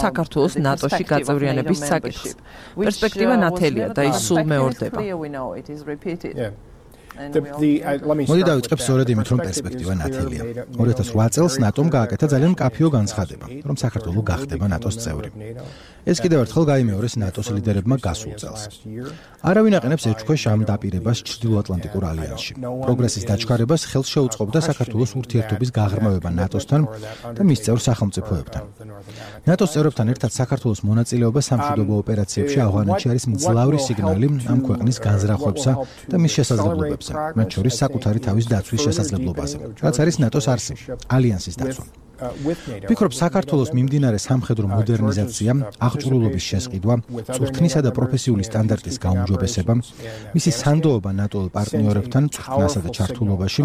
[SPEAKER 2] საქართველოს ნატოში გაწევრიანების საკითხს? პერსპექტივა ნათელია და ის სულ მეორდება.
[SPEAKER 1] მოდი დავიწყებ სწორედ იმით, რომ პერსპექტივა ნათელია. 2008 წელს ნატომ გააკეთა ძალიან მკაფიო განცხადება, რომ საქართველო გახდება ნატოს წევრი. ეს კიდევ ერთხელ გაიმეორეს ნატოს ლიდერებმა გასულ წელს. არავინ აყენებს ეჭქვეშ ამ დაპირებას ჩრდილოატლანტიკურ ალიანსში. პროგრესის დაჩქარებას ხელს შეუწყობდა საქართველოს ურთიერთობის გაღრმავება ნატოსთან და მის წევრ სახელმწიფოებთან. ნატოს წევრებთან ერთად საქართველოს მონაწილეობა სამშვიდობო ოპერაციებში ავღანეთში არის მძლავრი სიგნალი ამ ქვეყნის განზრახვებსა და მის შესაძლებლობებზე, მათ შორის საკუთარი თავის დაცვის შესაძლებლობაზე, რაც არის ნატოს არსი, ალიანსის დაცვა. ვფიქრობ, საქართველოს მიმდინარე სამხედრო მოდერნიზაცია, აღჭურვილობის შესყიდვა, წვრთნისა და პროფესიული სტანდარტის გაუმჯობესება, მისი სანდოობა ნატო პარტნიორებთან წვრთნასა და ჩართულობაში,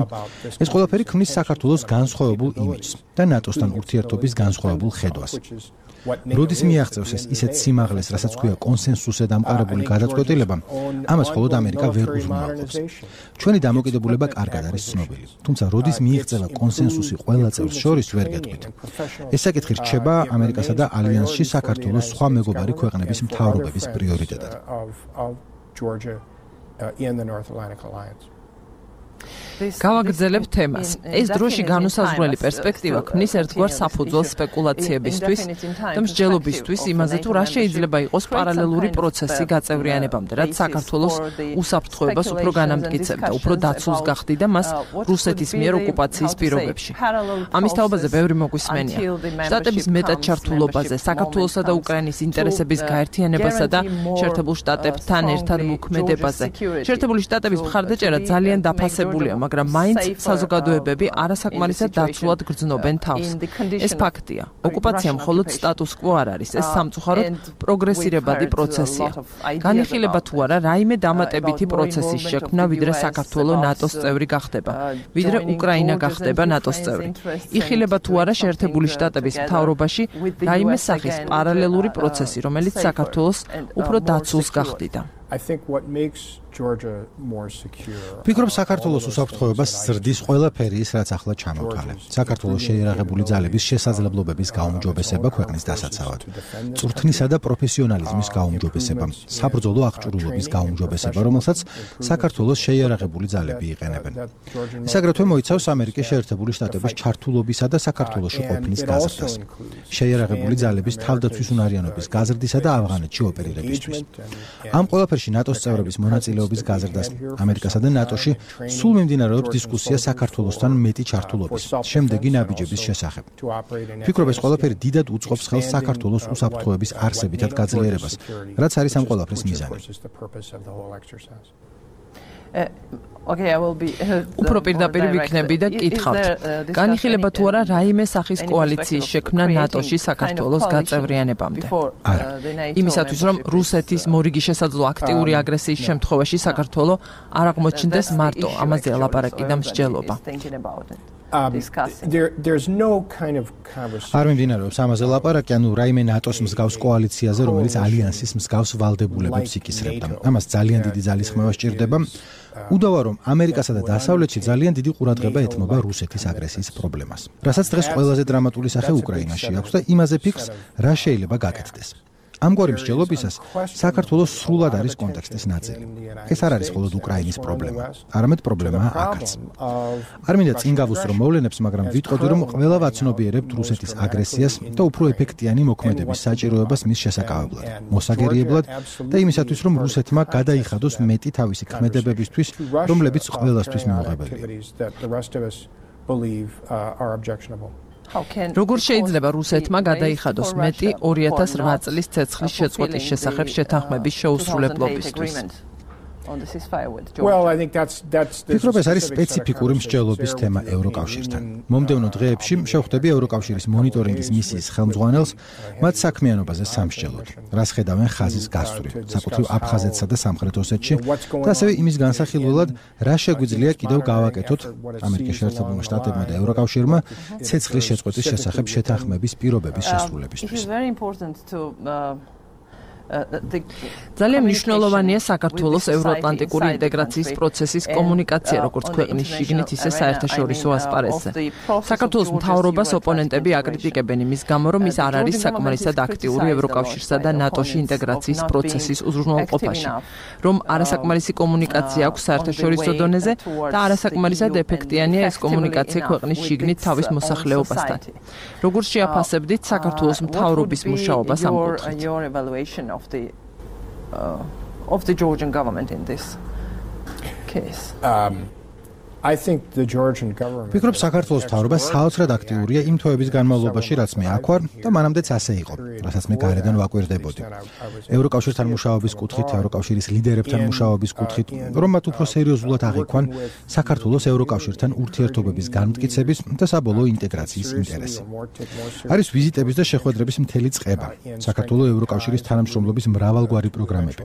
[SPEAKER 1] ეს ყველაფერი ქმნის საქართველოს განსხვავებულ იმიჯს და ნატოსთან ურთიერთობის განსხვავებულ ხედვას. როდის მიაღწევს ეს ისეთ სიმაღლეს, რასაც ქვია კონსენსუსზე დამყარებული გადაწყვეტილება, ამას მხოლოდ ამერიკა ვერ უზრუნველყოფს. ჩვენი დამოკიდებულება კარგად არის ცნობილი, თუმცა როდის მიიღწევა კონსენსუსი ყველა წევრს შორის ვერ გეტყვით. ეს საკითხი რჩება ამერიკასა და ალიანსში საქართველოს სხვა მეგობარი ქვეყნების მთავრობების პრიორიტეტად.
[SPEAKER 2] გავაგრძელებ თემას. ეს დროში განუსაზღვრელი პერსპექტივა ქმნის ერთგვარ საფუძველს სპეკულაციებისთვის და მსჯელობისთვის იმაზე, თუ რა შეიძლება იყოს პარალელური პროცესი გაწევრიანებამდე, რაც საქართველოს უსაფრთხოებას უფრო განამტკიცებდა, უფრო დაცულს გახდიდა მას რუსეთის მიერ ოკუპაციის პირობებში. ამის თაობაზე ბევრი მოგვისმენია. შტატების მეტად ჩართულობაზე, საქართველოსა და უკრაინის ინტერესების გაერთიანებასა და შეერთებულ შტატებთან ერთად მოქმედებაზე. შეერთებული შტატების მხარდაჭერა ძალიან დაფასებულია, მაგრამ მაინც საზოგადოებები არასაკმარისად დაცულად გრძნობენ თავს. ეს ფაქტია. ოკუპაცია მხოლოდ სტატუს კვო არ არის, ეს სამწუხაროდ პროგრესირებადი პროცესია. განიხილება თუ არა რაიმე დამატებითი პროცესის შექმნა, ვიდრე საქართველოს ნატოს წევრი გახდება, ვიდრე უკრაინა გახდება ნატოს წევრი. იხილება თუ არა შეერთებული შტატების მთავრობაში რაიმე სახის პარალელური პროცესი, რომელიც საქართველოს უფრო დაცულს გახდიდა.
[SPEAKER 10] I think what makes Georgia more secure.
[SPEAKER 1] ვფიქრობ საქართველოს უსაფრთხოებას ზრდის ყველაფერი ის, რაც ახლა ჩამოვთვალე. საქართველოს შეიარაღებული ძალების შესაძლებლობების გაუმჯობესება ქვეყნის დასაცავად. წვრთნისა და პროფესიონალიზმის გაუმჯობესება, საბრძოლო აღჭურვილობის გაუმჯობესება, რომელსაც საქართველოს შეიარაღებული ძალები იყენებენ. ეს აგრეთვე მოიცავს ამერიკის შეერთებული შტატების ჩართულობისა და საქართველოში ყოფნის გაზრდას. შეიარაღებული ძალების თავდაცვის უნარიანობის გაზრდისა და ავღანეთში ოპერირებისთვის. ამ ყველაფერში ნატოს წევრების მონაწილეობის გაზრდას ამერიკასა და ნატოში სულ მიმდინარეობს დისკუსია საქართველოსთან მეტი ჩართულობის, შემდეგი ნაბიჯების შესახებ. ვფიქრობ, ეს ყველაფერი დიდად უწყობს ხელს საქართველოს უსაფრთხოების არსებითად გაძლიერებას, რაც არის ამ ყველაფრის მიზანი.
[SPEAKER 2] უფრო პირდაპირ ვიქნები და გითხავთ. განიხილება თუ არა რაიმე სახის კოალიციის შექმნა ნატოში საქართველოს გაწევრიანებამდე?
[SPEAKER 1] არა.
[SPEAKER 2] იმისათვის რომ რუსეთის მორიგი შესაძლო აქტიური აგრესიის შემთხვევაში საქართველოს არ აღმოჩნდეს მარტო ამაზე ლაპარაკი და მსჯელობა.
[SPEAKER 10] There's no kind of conversation.
[SPEAKER 1] არ მიმდინარეობს ამაზე ლაპარაკი, ანუ რაიმე ნატოს მსგავს კოალიციაზე, რომელიც ალიანსის მსგავს ვალდებულებებს იკისრებდა. ამას ძალიან დიდი ძალის ხმევა სჭირდება. უდავა რომ ამერიკასა და დასავლეთში ძალიან დიდი ყურადღება ეთმობა რუსეთის აგრესიის პრობლემას, რასაც დღეს ყველაზე დრამატული სახე უკრაინაში აქვს და იმაზე ფიქრს, რა შეიძლება გაკეთდეს. ამგვარი მსჯელობისას საქართველოს სრულად არის კონტექსტის ნაწილი. ეს არ არის მხოლოდ უკრაინის პრობლემა, არამედ პრობლემაა აქაც. არ მინდა წინ გავუსწრო მოვლენებს, მაგრამ ვიტყოდი, რომ ყველა ვაცნობიერებთ რუსეთის აგრესიას და უფრო ეფექტიანი მოქმედების საჭიროებას მის შესაკავებლად, მოსაგერიებლად და იმისათვის, რომ რუსეთმა გადაიხადოს მეტი თავისი ქმედებებისთვის, რომლებიც ყველასთვის მიუღებელია.
[SPEAKER 2] როგორ შეიძლება რუსეთმა გადაიხადოს მეტი 2008 წლის ცეცხლის შეწყვეტის შესახებ შეთანხმების შეუსრულებლობისთვის?
[SPEAKER 1] ვფიქრობ, ეს არის სპეციფიკური მსჯელობის თემა ევროკავშირთან. მომდევნო დღეებში შევხვდები ევროკავშირის მონიტორინგის მისიის ხელმძღვანელს მათ საქმიანობაზე სამსჯელოდ, რას ხედავენ ხაზის გასწვრივ, საკუთრივ აფხაზეთსა და სამხრეთ ოსეთში და ასევე იმის განსახილველად, რა შეგვიძლია კიდევ გავაკეთოთ ამერიკის შეერთებულმა შტატებმა და ევროკავშირმა ცეცხლის შეწყვეტის შესახებ შეთანხმების პირობების შესრულებისთვის.
[SPEAKER 2] ძალიან მნიშვნელოვანია საქართველოს ევროატლანტიკური ინტეგრაციის პროცესის კომუნიკაცია, როგორც ქვეყნის შიგნით, ისე საერთაშორისო ასპარეზზე. საქართველოს მთავრობას ოპონენტები აკრიტიკებენ იმის გამო, რომ ის არ არის საკმარისად აქტიური ევროკავშირსა და ნატოში ინტეგრაციის პროცესის უზრუნველყოფაში, რომ არასაკმარისი კომუნიკაცია აქვს საერთაშორისო დონეზე და არასაკმარისად ეფექტიანია ეს კომუნიკაცია ქვეყნის შიგნით თავის მოსახლეობასთან. როგორ შეაფასებდით საქართველოს მთავრობის მუშაობას ამ კუთხით? Of the Georgian government in this case.
[SPEAKER 10] I think the Georgian government.
[SPEAKER 1] ვფიქრობ, საქართველოს მთავრობა საოცრად აქტიურია იმ თვეების განმავლობაში, რაც მე აქ ვარ და მანამდეც ასე იყო, რასაც მე გარედან ვაკვირდებოდი. ევროკავშირთან მუშაობის კუთხით, ევროკავშირის ლიდერებთან მუშაობის კუთხით, რომ მათ უფრო სერიოზულად აღიქვან საქართველოს ევროკავშირთან ურთიერთობების განმტკიცების და საბოლოო ინტეგრაციის ინტერესი. არის ვიზიტების და შეხვედრების მთელი წყება, საქართველოს ევროკავშირის თანამშრომლობის მრავალგვარი პროგრამები.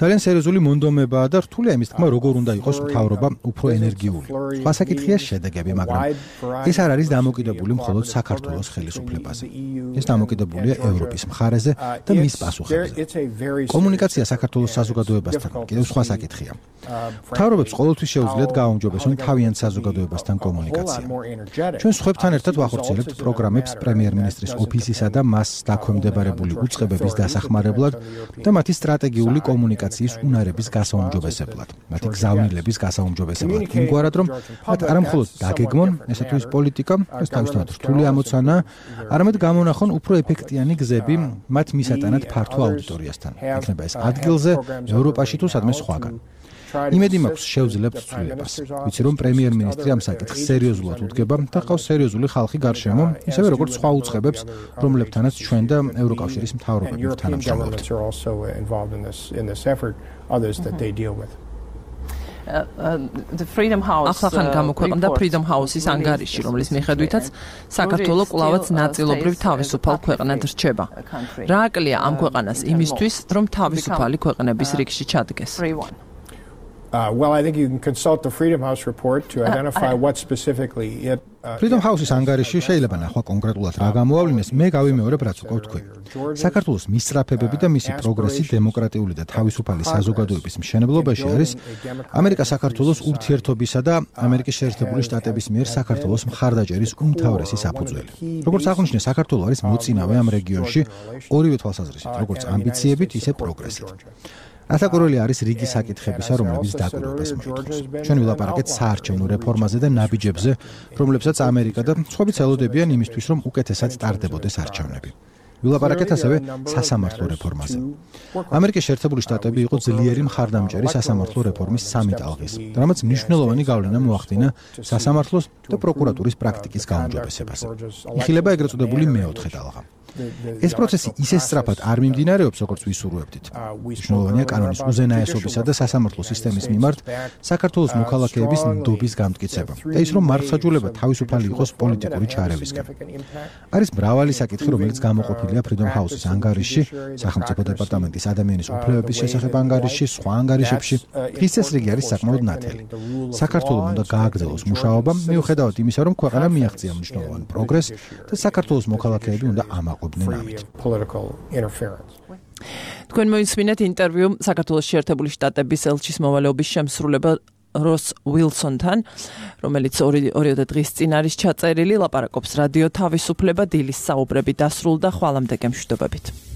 [SPEAKER 1] ძალიან სერიოზული მონდომებაა და რთულია იმის თქმა, როგორ უნდა იყოს მთავრობა უფრო ენერგიული. სხვა საკითხია შედეგები, მაგრამ ეს არ არის დამოკიდებული მხოლოდ საქართველოს ხელისუფლებაზე. ეს დამოკიდებულია ევროპის მხარეზე და მის პასუხებზე. კომუნიკაცია საქართველოს საზოგადოებასთან კიდევ სხვა საკითხია. მთავრობებს ყოველთვის შეუძლიათ გააუმჯობესონ თავიანთ საზოგადოებასთან კომუნიკაცია. ჩვენ სხვებთან ერთად ვახორციელებთ პროგრამებს პრემიერ-მინისტრის ოფისისა და მას დაქვემდებარებული უწყებების დასახმარებლად და მათი სტრატეგიული კომუნიკაციის უნარების გასაუმჯობესებლად, მათი გზავნილების გასაუმჯობესებლად. იმგვარად, რომ მათ არ მხოლოდ დაგეგმონ ესეთვის პოლიტიკა, ეს თავისთავად რთული ამოცანა, არამედ გამონახონ უფრო ეფექტიანი გზები მათ მისატანად ფართო აუდიტორიასთან. იქნება ეს ადგილზე, ევროპაში თუ სადმე სხვაგან. იმედი მაქვს შევძლებთ ცვლილებას. ვიცი რომ პრემიერ-მინისტრი ამ საკითხს სერიოზულად უდგება და ყავს სერიოზული ხალხი გარშემო, ისევე როგორც სხვა უწყებებს, რომლებთანაც ჩვენ და ევროკავშირის მთავრობები თანამშრომლობთ.
[SPEAKER 2] ახლა გამოქვეყნდა Freedom House-ის ანგარიში, რომლის მიხედვითაც საქართველო კვლავაც ნაწილობრივ თავისუფალ ქვეყნად რჩება. რა აკლია ამ ქვეყანას იმისთვის, რომ თავისუფალი ქვეყნების რიგში ჩადგეს?
[SPEAKER 10] Well, I think you can consult the Freedom House report to identify what specifically it
[SPEAKER 1] Freedom House-ის ანგარიში შეიძლება ნახვა კონკრეტულად რა გამოავლინეს, მე გავიმეორებ რაც უკვე თქვი. საქართველოს მისწრაფებები და მისი პროგრესი დემოკრატიული და თავისუფალი საზოგადოების მშენებლობაში არის ამერიკა-საქართველოს ურთიერთობისა და ამერიკის შეერთებული შტატების მიერ საქართველოს მხარდაჭერის უმთავრესი საფუძველი. როგორც აღნიშნე, საქართველო არის მოწინავე ამ რეგიონში ორივე თვალსაზრისით, როგორც ამბიციებით, ისე პროგრესით. ათაკურველი არის რიგი საკითხებისა, რომლებიც დაკვირვებას მოითხოვს. ჩვენ ვილაპარაკეთ საარჩევნო რეფორმაზე და ნაბიჯებზე, რომლებსაც ამერიკა და სხვები ცელოდებიან იმისთვის, რომ უკეთესად ტარდებოდეს არჩევნები. ვილაპარაკეთ ასევე სასამართლო რეფორმაზე. ამერიკის შეერთებული შტატები იყო ძლიერი მხარდამჭერი სასამართლო რეფორმის სამი ტალღის, რამაც მნიშვნელოვანი გავლენა მოახდინა სასამართლოს და პროკურატურის პრაქტიკის გაუმჯობესებაზე. იხილება ეგრეთ წოდებული მეოთხე ტალღა. ეს პროცესი ისე სწრაფად არ მიმდინარეობს, როგორც ვისურვებდით. მნიშვნელოვანია კანონის უზენაესობისა და სასამართლო სისტემის მიმართ საქართველოს მოქალაქეების ნდობის გამტკიცება და ის, რომ მართლმსაჯულება თავისუფალი იყოს პოლიტიკური ჩარევისგან. არის მრავალი საკითხი, რომელიც გამოყოფილია Freedom House-ის ანგარიში, სახელმწიფო დეპარტამენტის ადამიანის უფლებების შესახებ ანგარიში, სხვა ანგარიშებში. ის წესრიგი არის საკმაოდ ნათელი. საქართველოს უნდა გააგრძელოს მუშაობა, მიუხედავად იმისა, რომ ქვეყანა მიაღწია მნიშვნელოვან პროგრესს და საქართველოს მოქალაქეები უნდა ამაყობდნენ ამით.
[SPEAKER 2] თქვენ მოისმინეთ ინტერვიუ საქართველოს შეერთებული შტატების ელჩის მოვალეობის შემსრულებელ როს უილსონთან, რომელიც 2 დღის წინ არის ჩაწერილი, ლაპარაკობს რადიო თავისუფლება დილის საუბრები დასრულდა, ხვალამდე გემშვიდობებით.